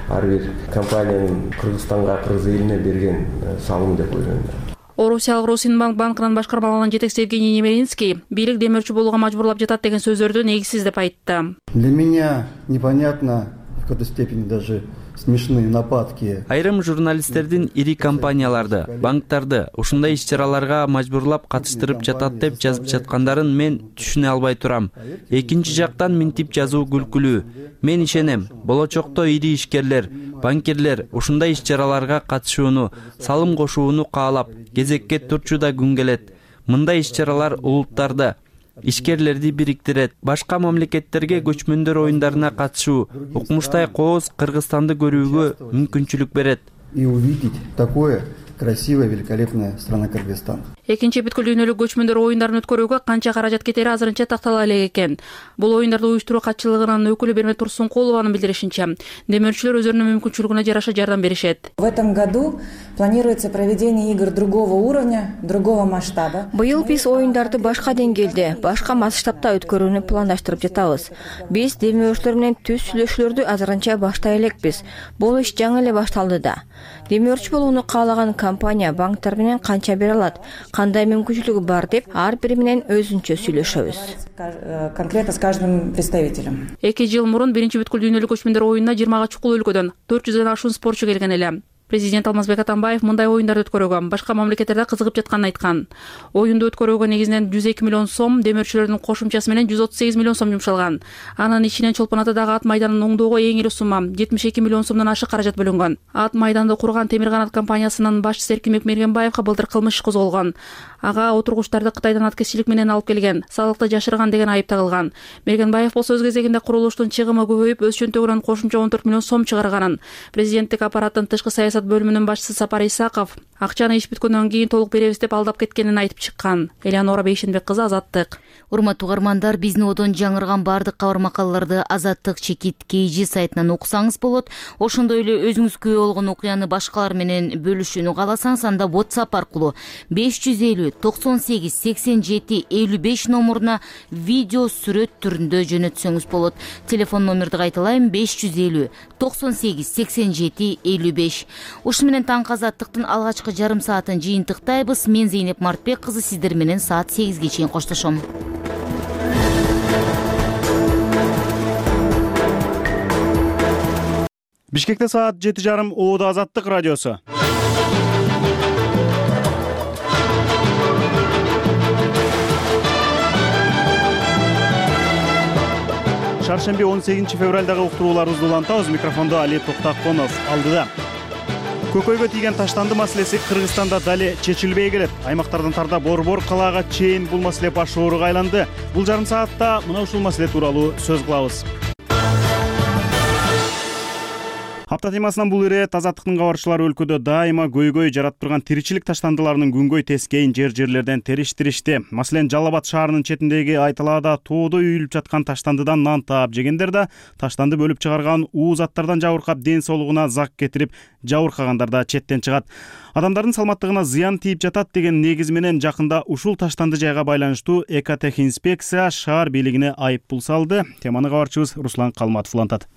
ар бир компаниянын Кыргызстанга, кыргыз элине берген салымы деп ойлойм. Орусиялык Росинбанк банкынын башкармалыгынын жетекчиси Евгений Немеринский бийлик демөөрчү болууга мажбурлап жатат деген сөздөрдү негизсиз деп айтты. Для меня непонятно, в какой-то степени даже смешные нападки. Айрым журналисттердин ири компанияларды, банктарды ушундай иш-чараларга мажбурлап катыштырып жатат деп жазып жаткандарын мен түшүнө албай турам. Экинчи жактан минтип жазуу күлкүлүү. Мен ишенем, болочокто ири ишкерлер, банкирлер ушундай иш-чараларга катышууну, салым кошууну каалап, кезекке турчу да күн келет. Мындай иш-чаралар улуттарды, ишкерлерди бириктирет. Башка мамлекеттерге көчмөндөр оюндарына катышуу, укмуштай кооз Кыргызстанды көрүүгө мүмкүнчүлүк берет. И увидеть такое красивая, великолепная страна Кыргызстан. Экинчи бүткүл дүйнөлүк көчмөндөр оюндарын өткөрүүгө канча каражат кетери азырынча тактала элек экен. Бул оюндарды уюштуруу катчылыгынын өкүлү Бермет Турсункулованын билдиришинче, демөөрчүлөр өздөрүнүн мүмкүнчүлүгүнө жараша жардам беришет. В этом году планируется проведение игр другого уровня, другого масштаба. Быйыл биз оюндарды башка деңгээлде, башка масштабта өткөрүүнү пландаштырып жатабыз. Биз демөөрчүлөр менен түз сүйлөшүүлөрдү азырынча баштай элекпиз. Бул иш жаңы эле башталды да. Демөөрчү болууну каалаган компания банктар менен канча бере алат, кандай мүмкүнчүлүгү бар деп ар бири менен өзүнчө сүйлөшөбүз. Конкретно с каждым представителем. Эки жыл мурун биринчи бүткүл дүйнөлүк көчмөндөр оюнуна жыйырмага чукул өлкөдөн төрт жүздөн ашуун спортчу келген эле. Президент Алмазбек Атамбаев мындай оюндарды өткөрүүгө башка мамлекеттерде кызыгып жатканын айткан. Оюнду өткөрүүгө негизинен жүз эки миллион сом, демөөрчүлөрдүн кошумчасы менен жүз отуз сегиз миллион сом жумшалган. Анын ичинен Чолпон Атадагы ат майданын оңдоого эң эле сумма жетимиш эки миллион сомдон ашык каражат бөлүнгөн. Ат майданды курган Темир канат компаниясынын башчысы Эркинбек Мергенбаевга былтыр кылмыш иш козголгон. Ага отургучтарды Кытайдан аткезчилик менен алып келген, салыкты жашырган деген айып тагылган. Мергенбаев болсо өз кезегинде курулуштун чыгымы көбөйүп, өз чөнтөгүнөн кошумча он төрт миллион сом чыгарганын. Президенттик аппараттын тышкы саясат бөлүмүнүн башчысы Сапар Исаков Акчаны иш бүткөндөн кийин толук беребиз деп алдап кеткенин айтып чыккан. Элеонора Бейшенбек кызы, Азаттык. Урматтуу угармандар, биздин одон жаңырган бардык кабар макалаларды Азаттык чекит kg сайтынан окусаңыз болот. Ошондой эле өзүңүз күбө болгон окуяны башкалар менен бөлүшүүнү кааласаңыз, анда WhatsApp аркылуу беш жүз элүү токсон сегиз сексен жети элүү беш номуруна видео сүрөт түрүндө жөнөтсөңүз болот. Телефон номерди кайталайм: беш жүз элүү токсон сегиз сексен жети элүү беш. Ушу менен таңкы Азаттыктын алгачкы жарым саатын жыйынтыктайбыз. Мен Зейнеп Мартбек кызы сиздер менен саат сегизге чейин коштошом. Бишкекте саат жети жарым, Оодо Азаттык радиосу. Шаршемби он сегизинчи февралдагы уктурууларыбызды улантабыз. Микрофондо Али Токтаконов алдыда. Көкөйгө тийген таштанды маселеси Кыргызстанда дали чечилбей келет. Аймактардын тарда борбор калаага чейин бул маселе баш ооруга айланды. Бул жарым саатта мына ушул маселе тууралуу сөз кылабыз. Апта темасынан бул ирет Азаттыктын кабарчылары өлкөдө дайыма көйгөй жаратып турган тиричилик таштандыларынын күнгөй тескейин жер-жерлерден териштиришти. Маселен, Жалал Абад шаарынын четиндеги Айталаада тоодо үйүлүп жаткан таштандыдан нан таап жегендер да таштанды бөлүп чыгарган уу заттардан жабыркап ден соолугуна зак кетирип жабыркагандар да четтен чыгат. Адамдардын саламаттыгына зыян тийип жатат деген негиз менен жакында ушул таштанды жайга байланыштуу экотехинспекция шаар бийлигине айып пул салды. Теманы кабарчыбыз Руслан Калматов улантат.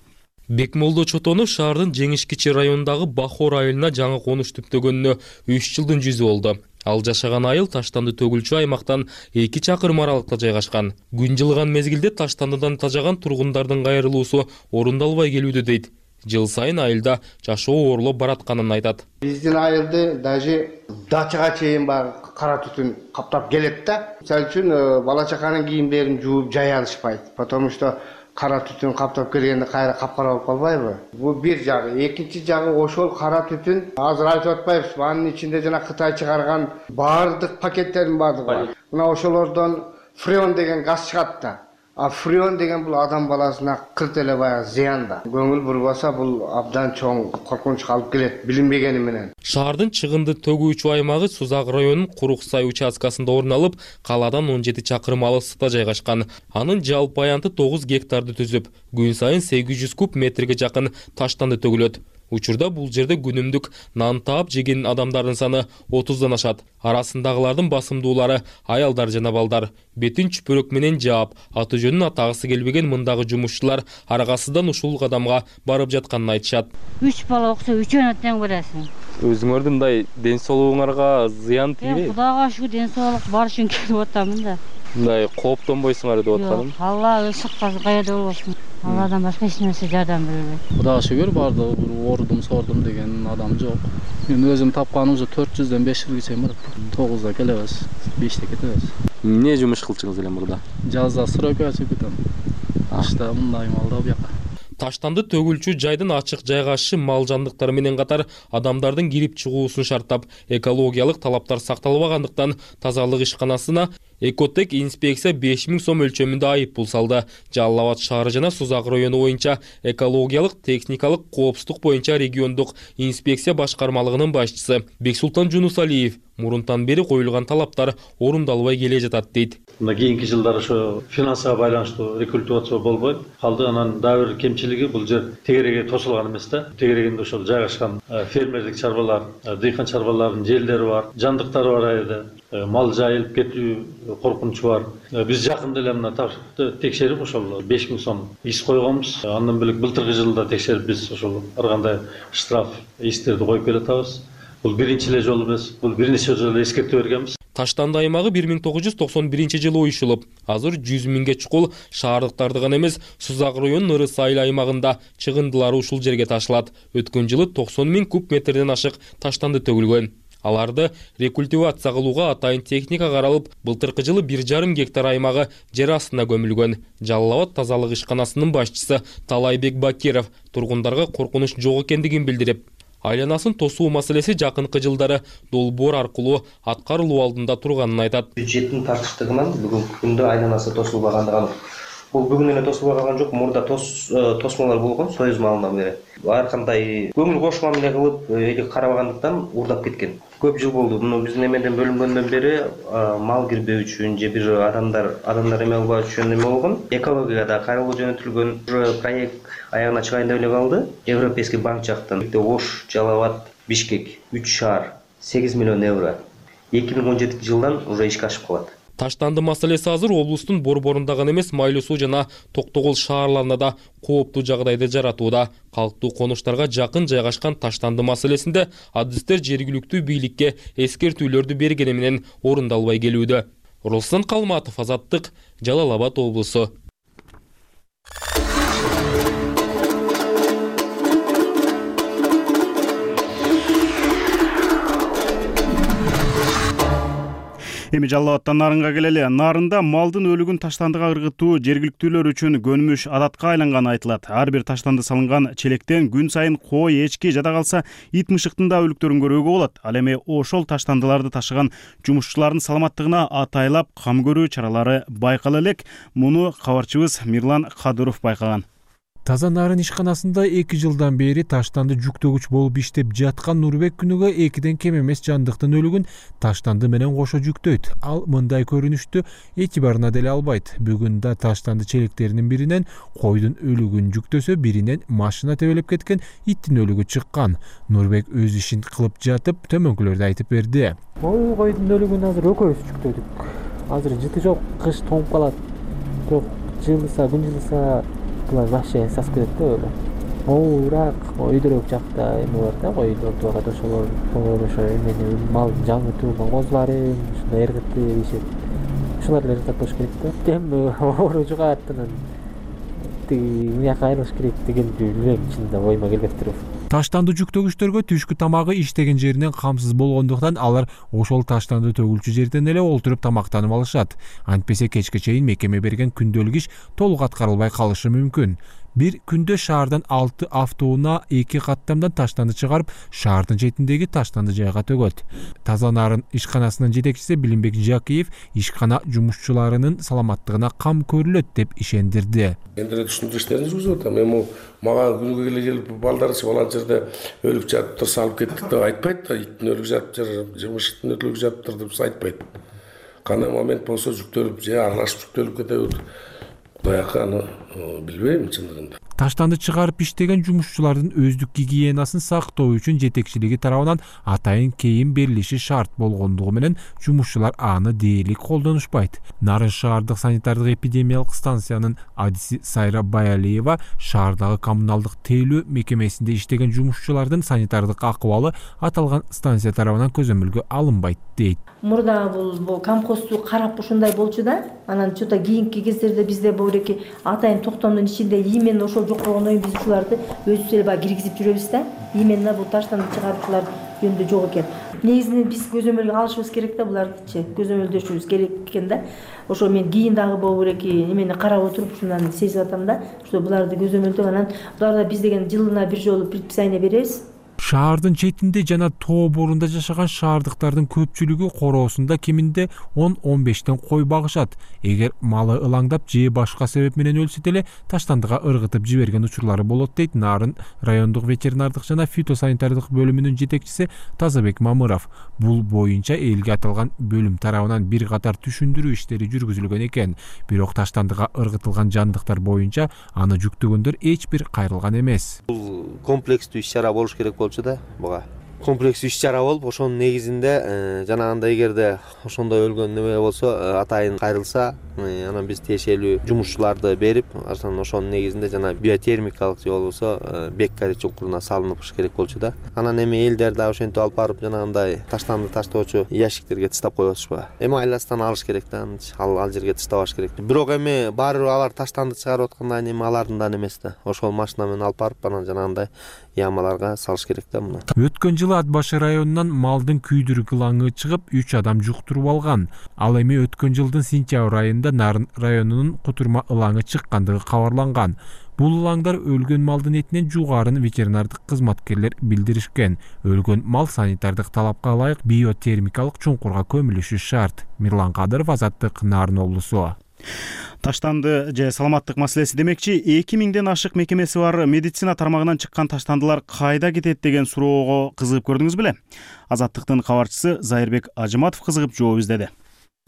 Бекмолдо Чотонов шаардын Жеңиш Кичи районундагы Бахор айылына жаңы конуш түптөгөнүнө үч жылдын жүзү болду. Ал жашаган айыл таштанды төгүлчү аймактан эки чакырым аралыкта жайгашкан. Күн жылыган мезгилде таштандыдан тажаган тургундардын кайрылуусу орундалбай келүүдө дейт. Жыл сайын айылда жашоо оорлоп баратканын айтат. Биздин айылды даже дачага чейин баягы кара түтүн каптап келет да. Мисалы үчүн бала чаканын кийимдерин жууп жая алышпайт. Потому что кара түтүн каптап келгенде кайра капкара болуп калбайбы? Бул бир жагы. Экинчи жагы ошол кара түтүн азыр айтып атпайбыз. Анын ичинде жана Кытай чыгарган баардык пакеттердин баардыгы бар. Мына ошолордон фреон деген газ чыгат да. А фреон деген бул адам баласына кырт эле баягы зыян да. Көңүл бурбаса бул абдан чоң коркунучка алып келет билинбегени менен. Шаардын чыгынды төгүүчү аймагы Сузак районунун Курук-Сай участкасында орун алып, калаадан он жети чакырым алыстыкта жайгашкан. Анын жалпы аянты тогуз гектарды түзүп, күн сайын сегиз жүз куб метрге жакын таштанды төгүлөт. Учурда бул жерде күнүмдүк нан таап жеген адамдардын саны отуздан ашат. Арасындагылардын басымдуулары аялдар жана балдар. Бетин чүпөрөк менен жаап, аты жөнүн атагысы келбеген мындагы жумушчулар аргасыздан ушул кадамга барып жатканын айтышат. Үч бала окуса үчөөнө тең бересиң. Өзүңөрдүн мындай ден соолугуңарга зыян тийбейби? Кудайга шүгүр ден соолук бар үчүн келип атамын да. Мындай кооптонбойсуңар деп атканым. Алла ышыкка каяда болбосун. Алладан башка эч нерсе жардам бербейт. Кудайга шүгүр бардыгы оорудум, сордум деген адам жок. Мен өзүм тапканым ушу төрт жүздөн беш жүзгө чейин барат. тогузда келебиз, беште кетебиз. Эмне жумуш кылчыңыз эле мурда? Жазда стройкага чыгып кетем. Кышта мындай малда бияка. Таштанды төгүлчү жайдын ачык жайгашышы мал жандыктары менен катар адамдардын кирип чыгуусун шарттап, экологиялык талаптар сакталбагандыктан тазалык ишканасына Экотек инспекция беш миң сом өлчөмүндө айып пул салды. Жалал Абад шаары жана Сузак району боюнча экологиялык техникалык коопсуздук боюнча региондук инспекция башкармалыгынын башчысы Бексултан Жунусалиев мурунтан бери коюлган талаптар орундалбай келе жатат дейт. Мына кийинки жылдары ошо финансыга байланыштуу рекультивация болбойт калды. Анан дагы бир кемчилиги бул жер тегереге тосулган эмес да. Тегерегинде ошол жайгашкан фермерлик чарбалар, дыйкан чарбаларынын жерлери бар, жандыктары бар айда. Мал жайылып кетүү коркунучу бар. Биз жакында эле мына ташты текшерип ошол беш миң сом иш койгонбуз. Андан бөлөк былтыркы жылда текшерип биз ошол ар кандай штраф иштерди коюп келатабыз. Бул биринчи эле жолу эмес, бул бир нече жолу эскертүү бергенбиз. Таштанды аймагы бир миң тогуз жүз токсон биринчи жылы оюшулуп, азыр жүз миңге чукул шаардыктарды гана эмес, Сузак районунун Ырыс айыл аймагында чыгындылары ушул жерге ташылат. Өткөн жылы токсон миң куб метрден ашык таштанды төгүлгөн. Аларды рекультивация кылууга атайын техника каралып, былтыркы жылы бир жарым гектар аймагы жер астына көмүлгөн. Жалал Абад тазалык ишканасынын башчысы Талайбек Бакиров тургундарга коркунуч жок экендигин билдирип, айланасын тосуу маселеси жакынкы жылдары долбоор аркылуу аткарылуу алдында турганын айтат. Бюджеттин тартыштыгынан бүгүнкү күндө айланасы тосулбагандыгы анык. Бул бүгүн эле тосулбай калган жок, мурда тос тосмолор болгон Союз малынан бери. ар кандай көңүл кошкон эле кылып эле карабагандыктан уурдап кеткен. Көп жыл болду. Муну биздин эмеден бөлүнгөндөн бери мал кирбөө үчүн же бир адамдар адамдар эме болбаш үчүн эме болгон. Экологияга да кайрылуу жөнөтүлгөн проект аягына чыгайын деп эле калды. Европейский банк жактан Ош, Жалал-Абад, Бишкек үч шаар сегиз миллион евро эки миң он жетинчи жылдан уже ишке ашып калат. Таштанды маселеси азыр облустун Борборунда гана эмес, Майлуу суу жана Токтогул шаарларында да кооптуу жагдайды жаратууда. Калктуу конуштарга жакын жайгашкан Таштанды маселесинде адистер жергиликтүү бийликке эскертүүлөрдү бергени менен орундалбай келүүдө. Руслан Калматов, Азаттык, Жалал-Абад облусу. Эми Жалал-Абадтан Нарынга келели. Нарында малдын өлүгүн таштандыга ыргытуу жергиликтүүлөр үчүн көнүмүш адатка айланганы айтылат. Ар бир таштанды салынган челектен күн сайын кой, эчки жада калса ит мышыктын да өлүктөрүн көрүүгө болот. Ал эми ошол таштандыларды ташыган жумушчулардын саламаттыгына атайлап кам көрүү чаралары байкала элек. Муну кабарчыбыз Мирлан Кадыров байкаган. Таза нарын ишканасында эки жылдан бери таштанды жүктөгүч болуп иштеп жаткан Нурбек күнүгө экиден кем эмес жандыктын өлүгүн таштанды менен кошо жүктөйт. Ал мындай көрүнүштү эти барына деле албайт. Бүгүн да таштанды челектеринин биринен койдун өлүгүн жүктөсө, биринен машина тебелеп кеткен иттин өлүгү чыккан. Нурбек өз ишин кылып жатып төмөнкүлөрдү айтып берди. Ой, койдун өлүгүн азыр экөөбүз жүктөдүк. Азыр жыты жок, кыш тоңуп калат. Бирок жылыса, күн жылыса булар вообще сасып кетет да өлө. Ооурак, өйдөрөк жакта эме бар да, койдорду багат ошолор ошо эмени мал жаңы туулган козуларын, ушундай эргитти дешет. Ушулар эле жасап коюш керек да. Эми оору жугат анан тиги мыяка айырылыш керек дегенди билбейм, чынында оюма келбептир. Таштанды жүктөгүчтөргө түшкү тамагы иштеген жеринен камсыз болгондуктан алар ошол таштанды төгүлчү жерден эле олтуруп тамактанып алышат. Антпесе кечке чейин мекеме берген күндөлүк иш толук аткарылбай калышы мүмкүн. Бир күндө шаардан алты автоунаа эки каттамдан таштанды чыгарып, шаардын четиндеги таштанды жайга төгөт. Таза нарын ишканасынын жетекчиси Билимбек Жакиев ишкана жумушчуларынын саламаттыгына кам көрүлөт деп ишендирди. Эми түшүндүрүштөрүн жүргүзүп атам. Эми мага күнүгө келе келип балдарчы балан жерде өлүп жатыптыр, салып кеттик деп айтпайт да, иттин өлүгү жатыптыр, жымышыктын өлүгү жатыптыр деп айтпайт. Кандай момент болсо жүктөлүп же аралашып жүктөлүп кетебит. Баягы аны билбейм чындыгында. Таштанды чыгарып иштеген жумушчулардын өздүк гигиенасын сактоо үчүн жетекчилиги тарабынан атайын кийим берилиши шарт болгондугу менен жумушчулар аны дээрлик колдонушпайт. Нарын шаардык санитардык эпидемиялык станциянын адиси Сайра Баялиева шаардагы коммуналдык тейлөө мекемесинде иштеген жумушчулардын санитардык акыбалы аталган станция тарабынан көзөмөлгө алынбайт дейт. Мурда бул камкосту карап ушундай болчу да, анан чота кийинки кездерде бизде бул атайын токтомдун ичинде именно ошол жок болгондон кийин биз ушуларды өзүбүз эле баягы киргизип жүрөбүз да. Именно бул таштанды чыгаруучулар жөнүндө жок экен. Негизинен биз көзөмөлгө алышыбыз керек да, булардычы көзөмөлдөшүбүз керек экен да. Ошо мен кийин дагы боло берек эмени карап отуруп ушундан сезип атам да. Ошо буларды көзөмөлдөп анан буларда биз деген жылына бир жолу предписание беребиз. Шаардын четинде жана тоо борунда жашаган шаардыктардын көпчүлүгү короосунда кеминде он он бештен кой багышат. Эгер малы ылаңдап же башка себеп менен өлсө деле таштандыга ыргытып жиберген учурлары болот дейт Нарын райондук ветеринардык жана фитосанитардык бөлүмүнүн жетекчиси Тазабек Мамыров. Бул боюнча элге аталган бөлүм тарабынан бир катар түшүндүрүү иштери жүргүзүлгөн экен. Бирок таштандыга ыргытылган жандыктар боюнча аны жүктөгөндөр эч бир кайрылган эмес. Бул комплекстүү иш-чара болуш керек болчу да, буга. Комплекстүү иш-чара болуп, ошонун негизинде жанагындай эгерде ошондой өлгөн неме болсо, атайын кайрылса, анан биз тиешелүү жумушчуларды берип, анан ошонун негизинде жана биотермикалык же болбосо беккари чуңкуруна салыныш керек болчу да. Анан эми элдер да ошентип алып барып жанагындай таштанды таштоочу ящиктерге таштап коюп атышпайбы? Эми айластан алыш керек да, ал ал жерге таштабаш керек. Бирок эми баары бир алар таштанды чыгарып аткандан кийин эми алардын да эмес да. Ошол машина менен алып барып анан жанагындай ямаларга салыш керек да муну. Өткөн жылы Ат башы районунан малдын күйдүрүк ылаңы чыгып үч адам жуктуруп алган. Ал эми өткөн жылдын сентябрь айында Нарын районунун Кутурма ылаңы чыккандыгы кабарланган. Бул ылаңдар өлгөн малдын этинен жугарын ветеринардык кызматкерлер билдиришкен. Өлгөн мал санитардык талапка ылайык биотермикалык чуңкурга көмүлүшү шарт. Мирлан Кадыров, Азаттык, Нарын облусу. Таштанды же саламаттык маселеси демекчи, эки миңден ашык мекемеси бар медицина тармагынан чыккан таштандылар кайда кетет деген суроого кызыгып көрдүңүз беле? Азаттыктын кабарчысы Зайырбек Ажыматов кызыгып жооп издеди.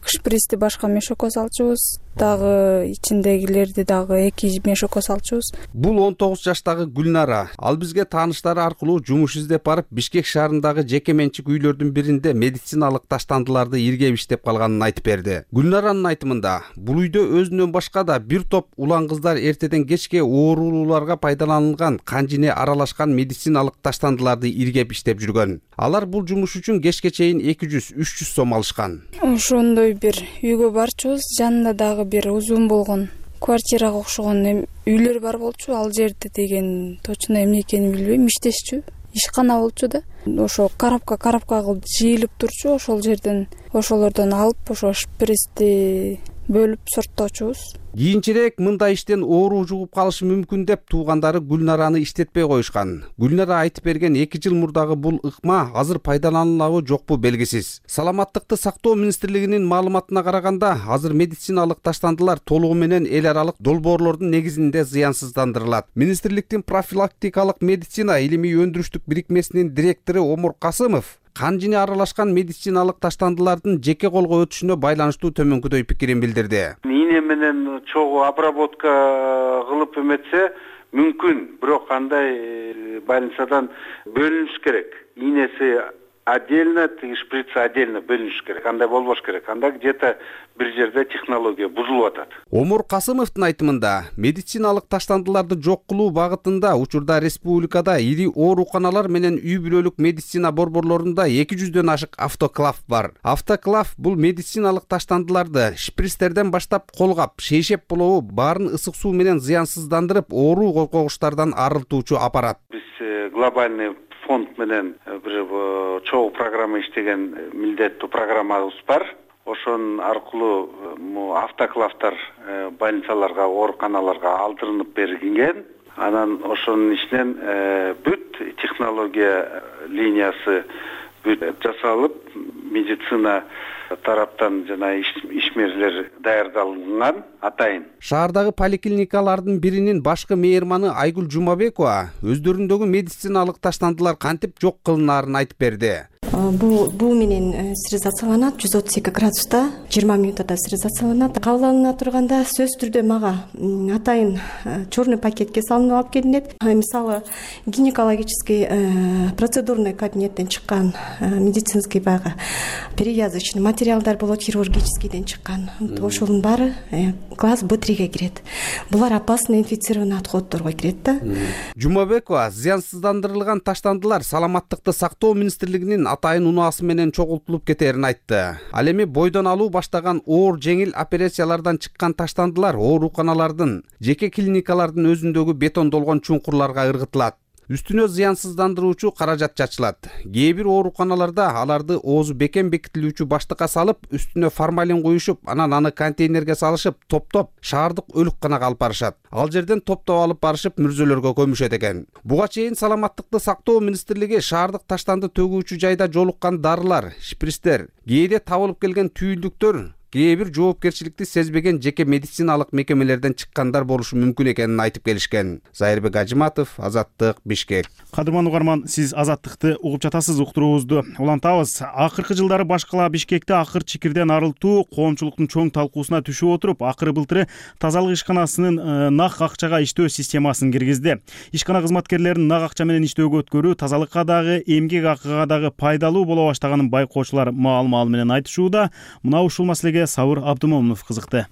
Шприцти башка мешокко салчубуз, дагы ичиндегилерди дагы эки мешокко салчубуз. Бул он тогуз жаштагы Гүлнара. Ал бизге тааныштары аркылуу жумуш издеп барып, Бишкек шаарындагы жеке менчик үйлөрдүн биринде медициналык таштандыларды иргеп иштеп калганын айтып берди. Гүлнаранын айтымында, бул үйдө өзүнөн башка да бир топ улан кыздар эртеден кечке оорулууларга пайдаланылган канжине аралашкан медициналык таштандыларды иргеп иштеп жүргөн. Алар бул жумуш үчүн кечке чейин эки жүз үч жүз сом алышкан. Ошондой бир үйгө барчубуз, жанында дагы бир узун болгон квартирага окшогон үйлөр бар болчу. Ал жерде деген точно эмне экенин билбейм, иштешчү. Ишкана болчу да. Ошо карапка карапка кылып жыйылып турчу. Ошол жерден ошолордон алып, ошо шприцти бөлүп сортточубуз. Кийинчерээк мындай иштен оору жугуп калышы мүмкүн деп туугандары Гүлнараны иштетпей коюшкан. Гүлнара айтып берген эки жыл мурдагы бул ыкма азыр пайдаланылабы жокпу белгисиз. Саламаттыкты сактоо министрлигинин маалыматына караганда, азыр медициналык таштандылар толугу менен эл аралык долбоорлордун негизинде зыянсыздандырылат. Министрликтин профилактикалык медицина илимий өндүрүштүк бирикмесинин директору Омур Касымов канжине аралашкан медициналык таштандылардын жеке колго өтүшүнө байланыштуу төмөнкүдөй пикирин билдирди. Ийне менен чогуу обработка кылып эметсе мүмкүн, бирок андай больницадан бөлүнүш керек.Ийнеси отдельно, шприц отдельно бөлүнүш керек. Андай болбош керек. Анда где-то бир жерде технология бузулуп атат. Омур Касымовдун айтымында, медициналык таштандыларды жок кылуу багытында учурда республикада ири ооруканалар менен үй бүлөлүк медицина борборлорунда эки жүздөн ашык автоклав бар. Автоклав бул медициналык таштандыларды шприцтерден баштап колгап, шейшеп болобу баарын ысык суу менен зыянсыздандырып, оору козгогучтардан арылтуучу аппарат. Биз глобальный фонд менен бир чогуу программа иштеген милдеттүү программабыз бар. Ошонун аркылуу автоклавдар больницаларга, ооруканаларга алдырынып берилген. Анан ошонун ичинен бүт технология линиясы бүт жасалып, медицина тараптан жана ишмерлер даярдалган атайын. Шаардагы поликлиникалардын биринин башкы мейманы Айгүл Жумабекова өздөрүндөгү медициналык таштандылар кантип жок кылынаарын айтып берди. Бул буу менен стерилизацияланат жүз отуз эки градуста жыйырма минутада стерилизацияланат. Кабыл алына турганда сөзсүз түрдө мага атайын черный пакетке салынып алып келинет. Мисалы гинекологический процедурный кабинеттен чыккан медицинский баягы перевязочный материалдар болот, хирургическийден чыккан. Ошонун баары класс Б триге кирет. Булар опасный инфицированный отходдорго кирет да. Жумабекова зыянсыздандырылган таштандылар саламаттыкты сактоо министрлигинин атайын унаасы менен чогултулуп кетерин айтты. Ал эми бойдон алуу баштаган оор жеңил операциялардан чыккан таштандылар ооруканалардын, жеке клиникалардын өзүндөгү бетондолгон чуңкурларга ыргытылат. Үстүнө зыянсыздандыруучу каражат чачылат. Кээ бир ооруканаларда аларды оозу бекем бекитилүүчү баштыкка салып, үстүнө формалин куюшуп, анан аны контейнерге салышып, топтоп шаардык өлүкканага алып барышат. Ал жерден топтоп алып барышып мүрзөлөргө көмүшөт экен. Буга чейин саламаттыкты сактоо министрлиги шаардык таштанды төгүүчү жайда жолуккан дарылар, шприцтер, кээде табылып келген түйүлдүктөр кээ бир жоопкерчиликти сезбеген жеке медициналык мекемелерден чыккандар болушу мүмкүн экенин айтып келишкен. Зайырбек Ажыматов, Азаттык, Бишкек. Кадырман угарман, сиз Азаттыкты угуп жатасыз, уктуруубузду улантабыз. Акыркы жылдары башкала Бишкекте акыр чикирден арылтуу коомчулуктун чоң талкуусуна түшүп отуруп, акыры былтыры тазалык ишканасынын нак акчага иштөө системасын киргизди. Ишкана кызматкерлерин нак акча менен иштөөгө өткөрүү тазалыкка дагы, эмгек акыга дагы пайдалуу боло баштаганын байкоочулар маал-маал менен айтышууда. Мына ушул маселеге Сабыр Абдымомунов кызыкты.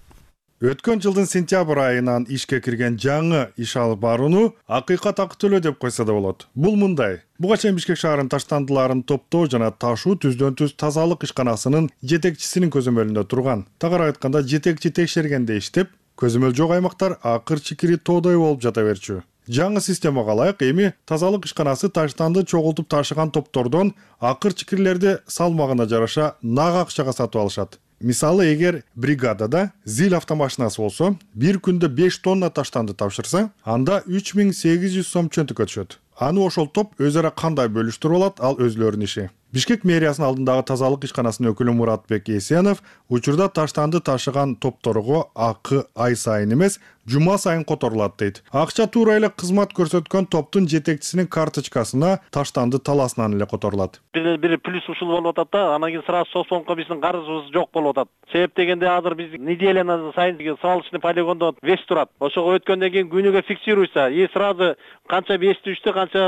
Өткөн жылдын сентябрь айынан ишке кирген жаңы иш алып барууну акыйкат акы төлөө деп койсо да болот. Бул мындай: буга чейин Бишкек шаарынын таштандыларын топтоо жана ташуу түздөн түз тазалык ишканасынын жетекчисинин көзөмөлүндө турган. Тагыраак айтканда, жетекчи текшергенде иштеп, көзөмөл жок аймактар акыр чикири тоодой болуп жата берчү. Жаңы системага ылайык эми тазалык ишканасы таштанды чогултуп ташыган топтордон акыр чикирлерди салмагына жараша нак акчага сатып алышат. Мисалы, эгер бригадада зил автомашинасы болсо, бир күндө беш тонна таштанды тапшырса, анда үч миң сегиз жүз сом чөнтүккө түшөт. Аны ошол топ өз ара кандай бөлүштүрүп алат, ал өзлөрүнүн иши. Бишкек мэриясынын алдындагы тазалык ишканасынын өкүлү Муратбек Эсенов учурда таштанды ташыган топторго акы ай сайын эмес, жума сайын которулат дейт. Акча туура эле кызмат көрсөткөн топтун жетекчисинин карточкасына таштанды таласынан эле которулат. Бир бир плюс ушул болуп атат да, анан кийин сразу соцфондго биздин карызыбыз жок болуп атат. Себеп дегенде азыр биз неделя сайын свалочный полигондо вес турат. Ошого өткөндөн кийин күнүгө фиксируйса, и сразу канча вес түштү, канча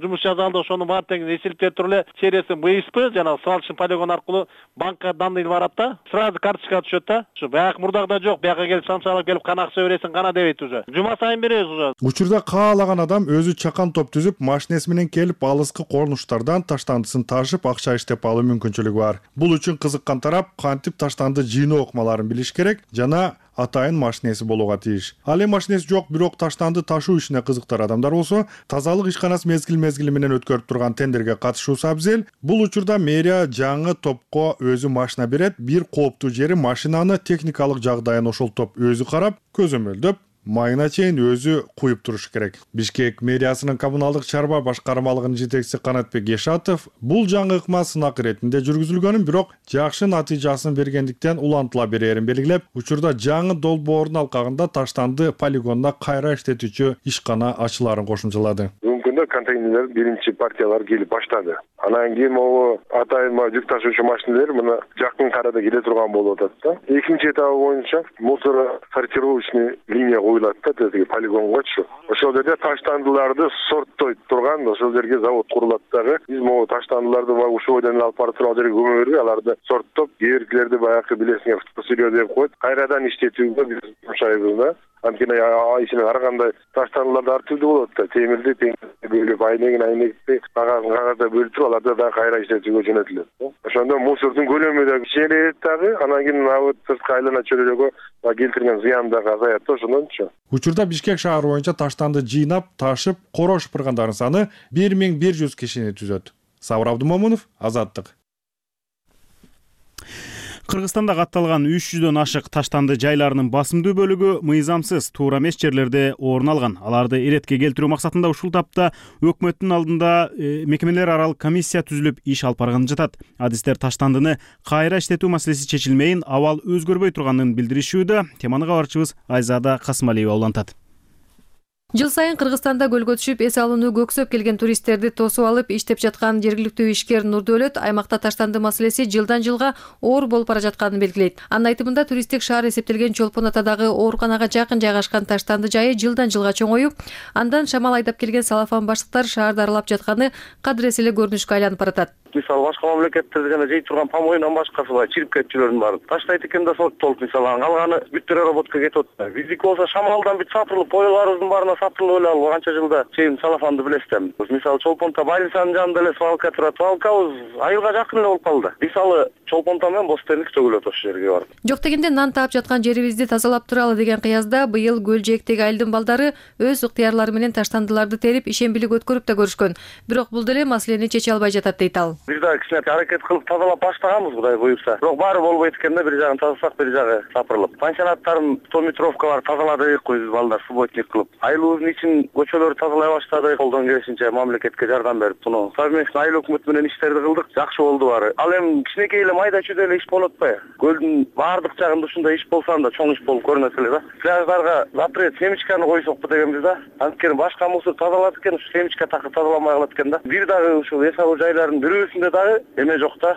жумуш жасалды, ошонун баары тең эсептеп туруп эле сериясы БСП жана свалочный полигон аркылуу банкка данный барат да, сразу карточкага түшөт да. Ушу баягы мурдагыдай жок, бияка келип санчалап келип кана акча бересиң, кана дебейт уже. Жума сайын беребиз уже. Учурда каалаган адам өзү чакан топ түзүп, машинеси менен келип алыскы корнуштардан таштандысын ташып акча иштеп алуу мүмкүнчүлүгү бар. Бул үчүн кызыккан тарап кантип таштанды жыйноо ыкмаларын билиш керек жана атайын машинеси болууга тийиш. Ал эми машинеси жок, бирок таштанды ташуу ишине кызыктар адамдар болсо, тазалык ишканасы мезгил-мезгили менен өткөрүп турган тендерге катышуусу абзел. Бул учурда мэрия жаңы топко өзү машина берет, бир кооптуу жери машинаны техникалык жагдайын ошол топ өзү карап, көзөмөлдөп, майына чейин өзү куюп турушу керек. Бишкек мэриясынын коммуналдык чарба башкармалыгынын жетекчиси Канатбек Ешатов бул жаңы ыкма сынак иретинде жүргүзүлгөнүн, бирок жакшы натыйжасын бергендиктен улантыла берерин белгилеп, учурда жаңы долбоордун алкагында таштанды полигонуна кайра иштетүүчү ишкана ачыларын кошумчалады. Бүгүнкүндө контейнерлер биринчи партиялар келип баштады. Анан кийин могу атайын жүк ташуучу машиналар мына жакын арада келе турган болуп атат да. Экинчи этабы боюнча мусор сортировочный линия коюлат да, тиги полигонгочу. Ошол жерде таштандыларды сорттой турган ошол жерге завод курулат дагы. Биз могу таштандыларды баягы ушул бойдон алып барып туруп ал жерге көмө бербей, аларды сорттоп, кээркилерди баягы билесиңер фотосырьё деп коюп, кайрадан иштетүүгө биз жумшайбыз да. Анткени ишине ар кандай таштандыларды ар түрдүү болот да. Темирди бөлүп, айнегин айнекти, кагазын кагазда бөлүп туруп, аларды да кайра иштетүүгө жөнөтүлөт. Ошондо мусордун көлөмү да кичейет дагы, анан кийин абы сырткы айлана чөйрөгө келтирген зыян дагы азаят да ошондончу. Учурда Бишкек шаары боюнча таштанды жыйнап, ташып, коро шыпыргандардын саны бир миң бир жүз кишини түзөт. Сабыр Абдумомунов, Азаттык. Кыргызстанда катталган үч жүздөн ашык таштанды жайларынын басымдуу бөлүгү мыйзамсыз туура эмес жерлерде орун алган. Аларды иретке келтирүү максатында ушул тапта өкмөттүн алдында э, мекемелер аралык комиссия түзүлүп иш алып барганы жатат. Адистер таштандыны кайра иштетүү маселеси чечилмейин, абал өзгөрбөй турганын билдиришүүдө. Теманы кабарчыбыз Айзада Касымалиева улантат. Жыл сайын Кыргызстанда көлгө түшүп эс алууну көксөп келген туристтерди тосуп алып иштеп жаткан жергиликтүү ишкер Нурдөөлөт аймакта таштанды маселеси жылдан жылга оор болуп бара жатканын белгилейт. Анын айтымында туристтик шаар эсептелген Чолпон Атадагы ооруканага жакын жайгашкан таштанды жайы жылдан жылга чоңоюп, андан шамал айдап келген салафан баштыктар шаарды аралап жатканы кадырес эле көрүнүшкө айланып баратат. Мисалы башка мамлекеттерде жана жей турган помойнан башкасы баягы чирип кетчүлөрдүн баары таштайт экен да соттолуп, мисалы калганы бүт переработка кетип атат. Биздики болсо шамалдан бүт сапырылып, койлорубуздун баарына сапырылып эле ал канча жылда чейин салафанды билесиз да. Мисалы Чолпонто больницанын жанында эле свалка турат. Свалкабыз айылга жакын эле болуп калды. Мисалы Чолпонто менен Бостендик төгүлөт ошол жерге барып. Жок дегенде нан таап жаткан жерибизди тазалап туралы деген кыязда быйыл көл жээктеги айылдын балдары өз ыктыярлары менен таштандыларды терип ишембилик өткөрүп да көрүшкөн. Бирок бул деле маселени чече албай жатат дейт ал. Бир да кичине аракет кылып тазалап баштаганбыз, Кудай буйрса. Бирок баары болбойт экен да, бир жагын тазаласак, бир жагы сапырылып. Пансионаттарын сто метровка бар тазаладык, биз балдар субботник кылып. Айылыбыздын ичин көчөлөрдү тазалай баштадык. Колдон келишинче мамлекетке жардам берип, муну совместно айыл өкмөтү менен иштерди кылдык. Жакшы болду баары. Ал эми кичинекей эле майда чүйдө эле иш болот атпайбы? Көлдүн баардык жагында ушундай иш болсо анда чоң иш болуп көрүнөт эле да. Пляждарга запрет семечканы койсокпу дегенбиз да. Анткени башка мусор тазалат экен, ушу семечка такыр тазаламай калат экен да. Бир дагы ушул эс алуу жайларынын бирөөсүндө дагы эме жок да.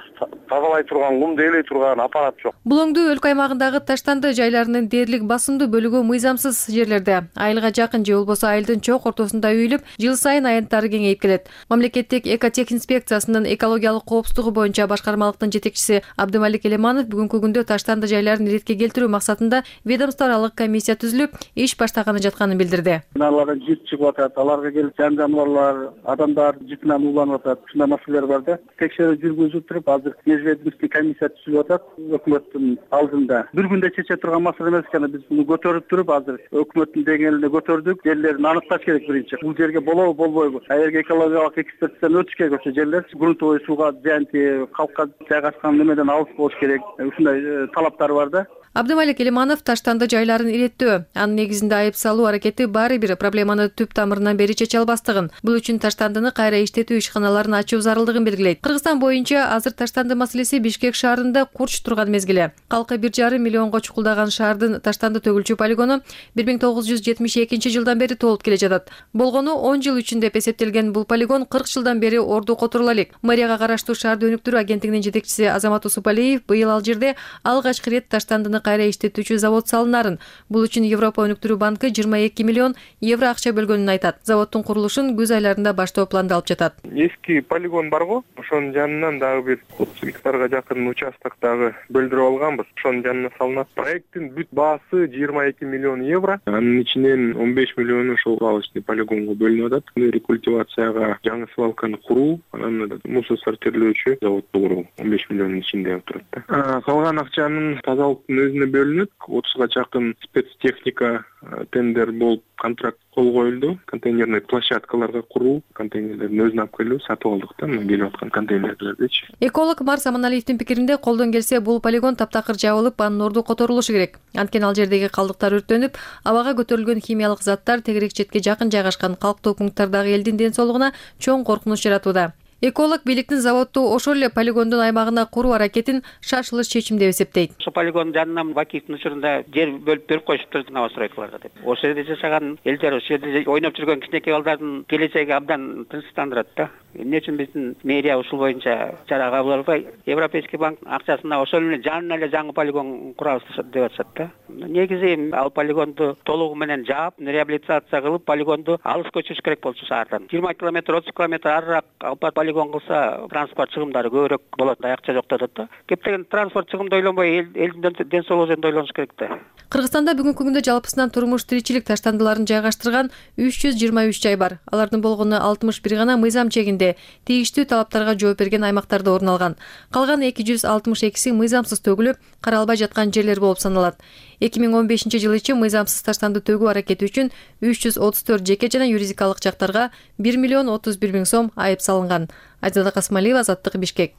Тазалай турган, кумду ээлей турган аппарат жок. Булоңдуу өлкө аймагындагы таштанды жайларынын дээрлик басымдуу бөлүгү мыйзамсыз жерлерде. Айылга жакын же болбосо айылдын чок ортосунда үйүлүп, жыл сайын аянттары кеңейип келет. Мамлекеттик экотехинспекциясынын экологиялык коопсуздугу боюнча башкармалыктын жетекчиси Абдымалик Элеманов бүгүнкү күндө таштанды жайларын иретке келтирүү максатында ведомство аралык комиссия түзүлүп, иш баштаганы жатканын билдирди. Аларга жит чыгып атат, аларга келип жан жаныбарлар, адамдар житинен ууланып атат. Ушундай маселелер бар да. Текшерүү жүргүзүп туруп, азыр межведомственный комиссия түзүлүп атат өкмөттүн алдында. Бир күндө чече турган маселе эмес экен, биз муну көтөрүп туруп, азыр өкмөттүн деңгээлине көтөрдүк. Жерлерин аныкташ керек биринчи. Бул жерге болобу, болбойбу? Эгерге экологиялык экспертизадан өтүш керек ошо жерлер. Грунтовый сууга зыян тийип, калкка жайгашкан немеден алыс болуш керек. Ушундай талаптар бар да. Абдымалик Элиманов таштанды жайларын иреттөө, анын негизинде айып салуу аракети баары бир проблеманы түп тамырынан бери чече албастыгын, бул үчүн таштандыны кайра иштетүү ишканаларын ачуу зарылдыгын белгилейт. Кыргызстан боюнча азыр таштанды маселеси Бишкек шаарында курч турган мезгили. Калкы бир жарым миллионго чукулдаган шаардын таштанды төгүлчү полигону бир миң тогуз жүз жетимиш экинчи жылдан бери толуп келе жатат. Болгону он жыл үчүн деп эсептелген бул полигон кырк жылдан бери орду которула элек. Мэрияга караштуу шаарды өнүктүрүү агенттигинин жетекчиси Азамат Усупалиев быйыл ал жерде алгачкы ирет таштандыны кайра иштетүүчү завод салынарын, бул үчүн Европа өнүктүрүү банкы жыйырма эки миллион евро акча бөлгөнүн айтат. Заводдун курулушун күз айларында баштоо пландалып жатат. Эски полигон барго, ошонун жанынан дагы бир отуз гектарга жакын участок дагы бөлдүрүп алганбыз. Ошонун жанына салынат. Проекттин бүт баасы жыйырма эки миллион евро. Анын ичинен он беш миллиону ошол калычный полигонго бөлүнүп атат. Рекультивацияга жаңы свалканы куруу, анан мусор сортирлөөчү заводду куруу он беш миллиондун ичинде турат да. Калган акчанын тазалыктын өзүнө бөлүнөт. отузга жакын спецтехника тендер болуп контракт кол коюлду. Контейнерный площадкаларга куруу, контейнерлердин өзүн алып келүү сатып алдык да, мына келип аткан контейнерлердичи. Эколог Марс Аманалиевдин пикиринде колдон келсе бул полигон таптакыр жабылып, анын орду которулушу керек. Анткени ал жердеги калдыктар өрттөнүп, абага көтөрүлгөн химиялык заттар тегерек четке жакын жайгашкан калктуу пункттардагы элдин ден соолугуна чоң коркунуч жаратууда. Эколог бийликтин заводду ошол эле полигондун аймагына куруу аракетин шашылыш чечим деп эсептейт. Ошол полигондун жанынан Бакиевдин учурунда жер бөлүп берип коюшуптур новостройкаларга деп. Ошол жерде жашаган элдер, ошол жерде ойноп жүргөн кичинекей балдардын келечеги абдан тынчтандырат да. Эмне үчүн биздин мэрия ушул боюнча чара кабыл албай, Европейский банк акчасына ошол эле жанына эле жаңы полигон курабыз деп атышат да. Негизи ал полигонду толугу менен жаап, реабилитация кылып, полигонду алыс көчүрүш керек болчу шаардан. жыйырма километр, отуз километр арыраак алып полигон кылса, транспорт чыгымдары көбүрөөк болот, акча жок деп атат да. Кептеген транспорт чыгымды ойлонбой, элдин ден соолугу жөнүндө ойлонуш керек да. Кыргызстанда бүгүнкү күндө жалпысынан турмуш тиричилик таштандыларын жайгаштырган үч жүз жыйырма үч жай бар. Алардын болгону алтымыш бир гана мыйзам чегинде, тийиштүү талаптарга жооп берген аймактарда орун алган. Калган эки жүз алтымыш экиси мыйзамсыз төгүлүп, каралбай жаткан жерлер болуп саналат. эки миң он бешинчи жылы ичи мыйзамсыз таштанды төгүү аракети үчүн үч жүз отуз төрт жеке жана юридикалык жактарга бир миллион отуз бир миң сом айып салынган. Айзада Касмалиева, Азаттык, Бишкек.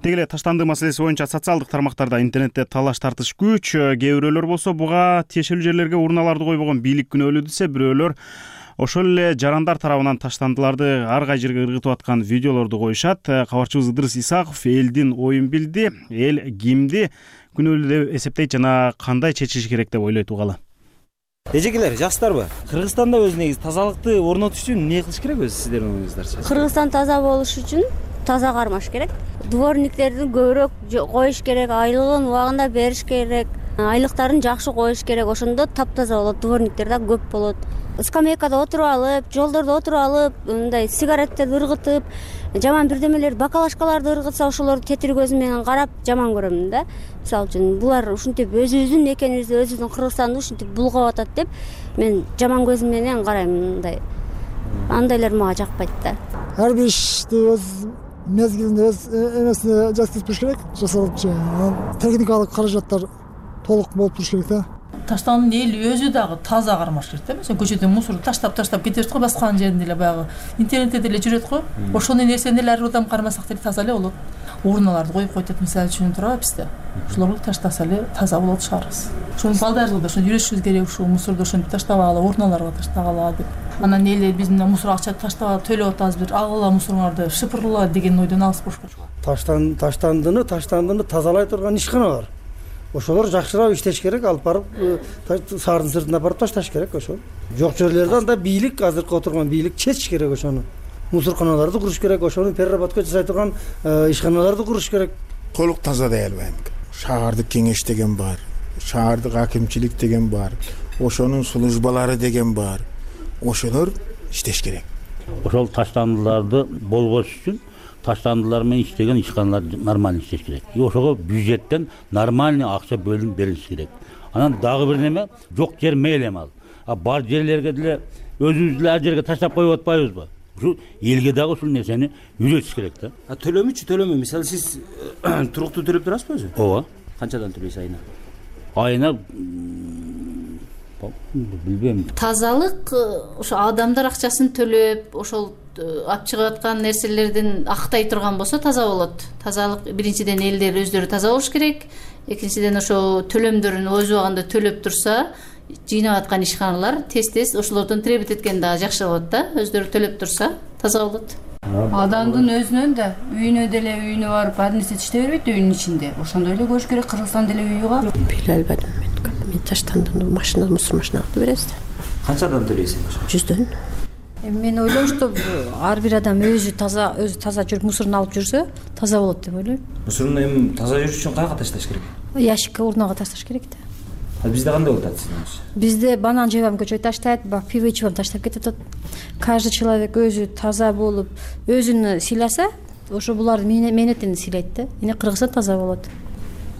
Деги эле таштанды маселеси боюнча социалдык тармактарда, интернетте талаш тартыш күч. Кээ бирөөлөр болсо буга тиешелүү жерлерге урналарды койбогон бийлик күнөөлүү десе, бирөөлөр ошол эле жарандар тарабынан таштандыларды ар кай жерге ыргытып аткан видеолорду коюшат. Кабарчыбыз Ыдырыс Исаков элдин оюн билди. Эл кимди күнөөлүү деп эсептейт жана кандай чечиш керек деп ойлойт угалы. Эжекелер, жакшысыздарбы? Кыргызстанда өз негизи тазалыкты орнотуш үчүн эмне кылыш керек өзү сиздердин оюңуздарчы? Кыргызстан таза болуш үчүн таза кармаш керек. Дворниктерди көбүрөөк коюш керек, айлыгын убагында бериш керек, айлыктарын жакшы коюш керек. Ошондо таптаза болот, дворниктер да көп болот. Скамейкада отуруп алып, жолдордо отуруп алып, мындай сигареттерди ыргытып, жаман бирдемелер, бакалашкаларды ыргытса, ошолорду тетир көзүм менен карап жаман көрөмүн да. Мисалы үчүн булар ушинтип өзүбүздүн мекенибизди, өзүбүздүн Кыргызстанды ушинтип булгап атат деп мен жаман көзүм менен карайм мындай. Андайлар мага жакпайт да. Ар бир ишти өз мезгилинде, өз эмесине жасап туруш керек, жасалыпчы. Техникалык каражаттар толук болуп туруш керек да. Таштандын эл өзү дагы таза кармаш керек да. Мисалы көчөдөн мусор таштап-таштап кетебиз го, баскан жеринде эле баягы интернетте деле жүрөт го. Ошондой нерсени эле ар адам кармасак деле таза эле болот. Урналарды коюп коет, мисалы үчүн турабы бизде. Ошолорду таштаса эле таза болот шаарыбыз. Ошону балдарыбызга да ошону үйрөтүшүбүз керек, ушул мусорду ошентип таштабагыла, урналарга таштагыла деп. Анан эле биз мына мусор акча таштап төлөп атабыз, бир алгыла мусоруңарды, шыпырла деген ойдон алыс болуш керек. Таштан таштандыны, таштандыны тазалай турган ишкана бар. Ошолор жакшыраак иштеш керек, алып барып шаардын сыртына барып ташташ керек ошол. Жок жерлерде анда бийлик, азыркы отурган бийлик чечиш керек ошону. Мусорканаларды куруш керек, ошону переработка жасай турган ишканаларды куруш керек. Толук таза дей албайм. Шаардык кеңеш деген бар, шаардык акимчилик деген бар, ошонун службалары деген бар. Ошолор иштеш керек. Ошол таштандыларды болгош үчүн таштандылар менен иштеген ишканалар нормально иштеш керек. И ошого бюджеттен нормальный акча бөлүнүп берилиш керек. Анан дагы бир неме, жок жер мейли ал. А бар жерлерге деле өзүбүз деле ар жерге таштап коюп атпайбызбы? Ушу элге дагы ушул нерсени үйрөтүш керек да. А төлөмүчү, төлөмө. Мисалы сиз туруктуу төлөп турасызбы өзү? Ооба. Канчадан төлөйсүз айына? Айына билбейм. Тазалык ошо адамдар акчасын төлөп ошол алып чыгып аткан нерселердин актай турган болсо таза болот. Тазалык биринчиден элдер өздөрү таза болуш керек. Экинчиден ошо төлөмдөрүн өз убагында төлөп турса, жыйнап аткан ишканалар тез-тез ошолордон требовать эткен дагы жакшы болот да. Өздөрү төлөп турса, таза болот. Адамдын өзүнөн да үйүнө деле үйүнө барып ар нерсе иштей бербейт үйүнүн ичинде. Ошондой эле көрүш керек. Кыргызстанда деле үйү бар. Биле албадым мен. Мен таштандым машина, мусор машинага бересиз. Канчадан төлөйсүң ошо? жүздөн. Мен ойлойм, что ар бир адам өзү таза, өзү таза жүрүп мусорун алып жүрсө, таза болот деп ойлойм. Мусорун эми таза жүрүш үчүн каяка ташташ керек? Ящикке, урнага ташташ керек да. А бизде кандай болуп атат сиздин? Бизде банан жеп көчөй таштайт, бак пиво ичип таштап кетет. Каждый человек өзү таза болуп, өзүн сыйласа, ошо булардын мээнетин сыйлайт да. Эне Кыргызстан таза болот.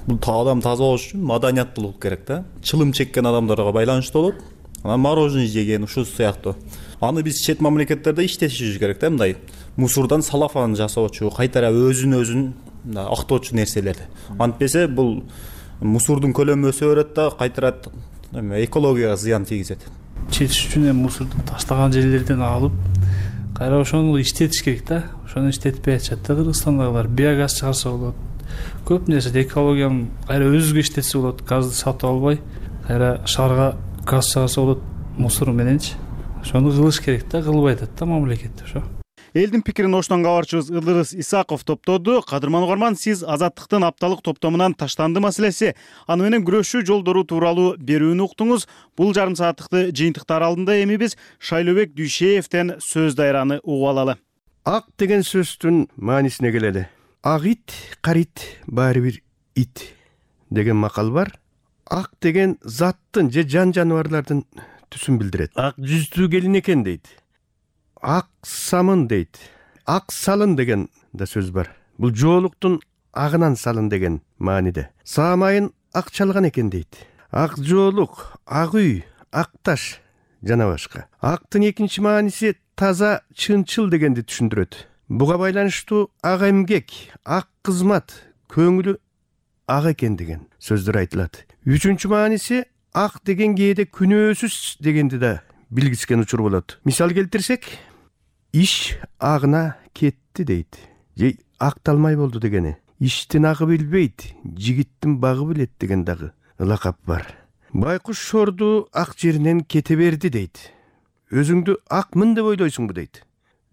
Бул адам таза болуш үчүн маданияттуулук керек да. Чылым чеккен адамдарга байланыштуу болот. Анан мороженое жеген ушул сыяктуу. Аны биз чет мамлекеттерде иштетишибиз керек да, мындай мусордон салафан жасоочу, кайтара өзүн өзүн актоочу нерселерди. Антпесе бул мусордун көлөмү өсө берет да, кайтара экологияга зыян тийгизет. Четиш үчүн эми мусорду таштаган жерлерден алып, кайра ошону иштетиш керек да. Ошону иштетпей атышат да Кыргызстандагылар. Биогаз чыгарса болот. Көп нерсе экологияны кайра өзүгө иштетсе болот. Газды сатып албай, кайра шаарга газ чыгарса болот мусор мененчи. Ошону кылыш керек да, кылбай атат да мамлекет ошо. Элдин пикирин Оштон кабарчыбыз Ылдырыс Исаков топтоду. Кадырман угарман, сиз Азаттыктын апталык топтомунан таштанды маселеси, аны менен күрөшүү жолдору тууралуу берүүнү уктуңуз. Бул жарым сааттыкты жыйынтыктар алдында эми биз Шайлообек Дүйшеевден сөз дайраны угуп алалы. Ак деген сөздүн маанисине келели. Ак ит, карит, баары бир ит деген макал бар. Ак деген заттын же жан жаныбарлардын түсүн билдирет. Ак жүздүү келин экен дейт. Ак самын дейт. Ак салын деген да сөз бар. Бул жоолуктун агынан салын деген мааниде. Саамайын ак чалган экен дейт. Ак жоолук, ак үй, ак таш жана башка. Актын экинчи мааниси таза, чынчыл дегенди түшүндүрөт. Буга байланыштуу ак эмгек, ак кызмат, көңүлү ак экен деген сөздөр айтылат. Үчүнчү мааниси ак деген кээде күнөөсүз дегенди да билгискен учур болот. Мисал келтирсек, иш агына кетти дейт. Же акталмай болду дегени. Иштин агы билбейт, жигиттин багы билет деген дагы ылакап бар. Байкуш шорду ак жеринен кете берди дейт. Өзүңдү акмын деп ойлойсуңбу дейт.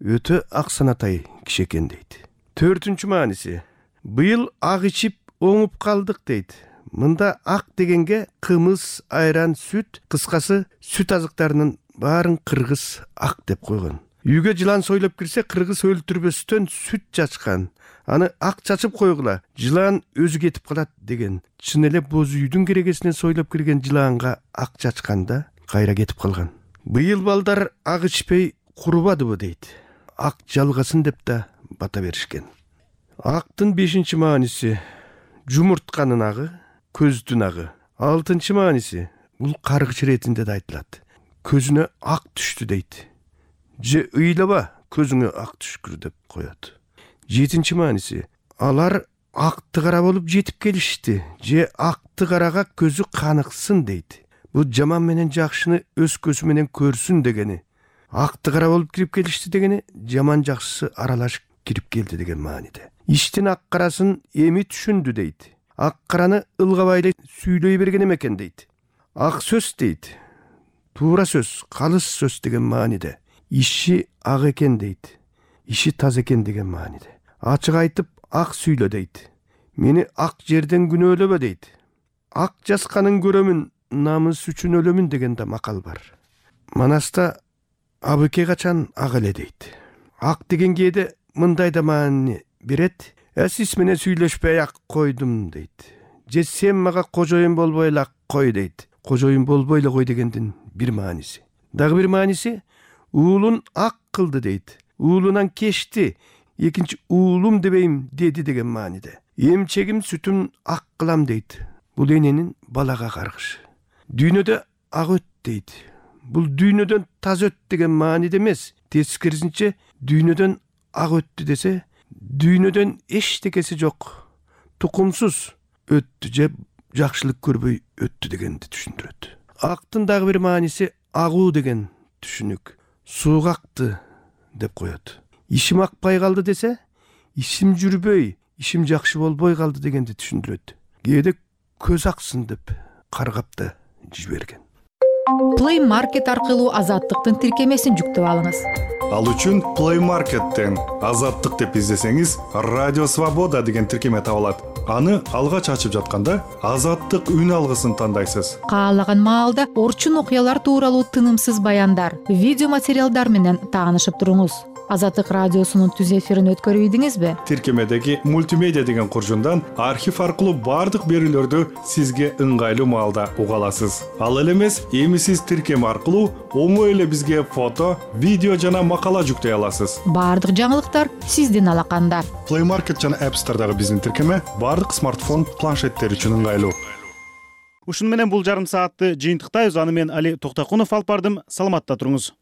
Өтө ак санатай киши экен дейт. Төртүнчү мааниси, быйыл ак ичип оңуп калдык дейт. Мында ак дегенге кымыз, айран, сүт, кыскасы сүт азыктарынын баарын кыргыз ак деп койгон. Үйгө жылан сойлоп кирсе, кыргыз өлтүрбөстөн сүт чачкан. Аны ак чачып койгула, жылан өзү кетип калат деген. Чын эле боз үйдүн керегесинен сойлоп кирген жыланга ак чачканда кайра кетип калган. Быйыл балдар ак ичпей курубадыбы дейт. Ак жалгасын деп да бата беришкен. Актын бешинчи мааниси жумуртканын агы, көздүн агы. Алтынчы мааниси бул каргыч иретинде да айтылат. Көзүнө ак түштү дейт. Же ыйлаба, көзүңө ак түшкүр деп коет. Жетинчи мааниси, алар акты кара болуп жетип келишти. Же акты карага көзү каныксын дейт. Бул жаман менен жакшыны өз көзү менен көрсүн дегени. Акты кара болуп кирип келишти дегени, жаман жакшысы аралашып кирип келди деген мааниде. Иштин ак карасын эми түшүндү дейт. Ак караны ылгабай эле сүйлөй берген экен дейт. Ак сөз дейт. Туура сөз, калыс сөз деген мааниде. Иши ак экен дейт. Иши таза экен деген мааниде. Ачык айтып ак сүйлө дейт. Мени ак жерден күнөөлөбө дейт. Ак жасканын көрөмүн, намыс үчүн өлөмүн деген да макал бар. Манаста абыке качан ак эле дейт. Ак деген кээде мындай да маани берет. Э сиз менен сүйлөшпөй ак койдум дейт. Же сен мага кожоюн болбой эле ак кой дейт. Кожоюн болбой эле кой дегендин бир мааниси. Дагы бир мааниси уулун ак кылды дейт. Уулунан кечти, экинчи уулум дебейм деди деген мааниде. Эмчегим сүтүм ак кылам дейт. Бул эненин балага каргышы. Дүйнөдө ак өт дейт. Бул дүйнөдөн таза өт деген мааниде эмес. Тескерисинче дүйнөдөн ак өттү десе, дүйнөдөн эчтекеси жок, тукумсуз өттү же жакшылык көрбөй өттү дегенди түшүндүрөт. Актын дагы бир мааниси агуу деген түшүнүк. Сууга акты деп коет. Ишим акпай калды десе, ишим жүрбөй, ишим жакшы болбой калды дегенди түшүндүрөт. Кээде көз аксын деп каргап да жиберген. Play Market аркылуу Азаттыктын тиркемесин жүктөп алыңыз. Ал үчүн Play Market'тен Азаттык деп издесеңиз, Радио Свобода деген тиркеме табылат. Аны алгач ачып жатканда Азаттык үн алгысын тандайсыз. Каалаган маалда орчун окуялар тууралуу тынымсыз баяндар, видео материалдар менен таанышып туруңуз. Азаттык радиосунун түз эфирин өткөрүп ийдиңизби? Тиркемедеги мультимедиа деген куржундан архив аркылуу бардык берүүлөрдү сизге ыңгайлуу маалда уга аласыз. Ал эле эмес, эми сиз тиркеме аркылуу оңой эле бизге фото, видео жана макала жүктөй аласыз. Бардык жаңылыктар сиздин алаканда. Play Market жана App Store'дагы биздин тиркеме бардык смартфон, планшеттер үчүн ыңгайлуу. Ушуну менен бул жарым саатты жыйынтыктайбыз. Аны мен Али Токтокунов алып бардым. Саламатта туруңуз.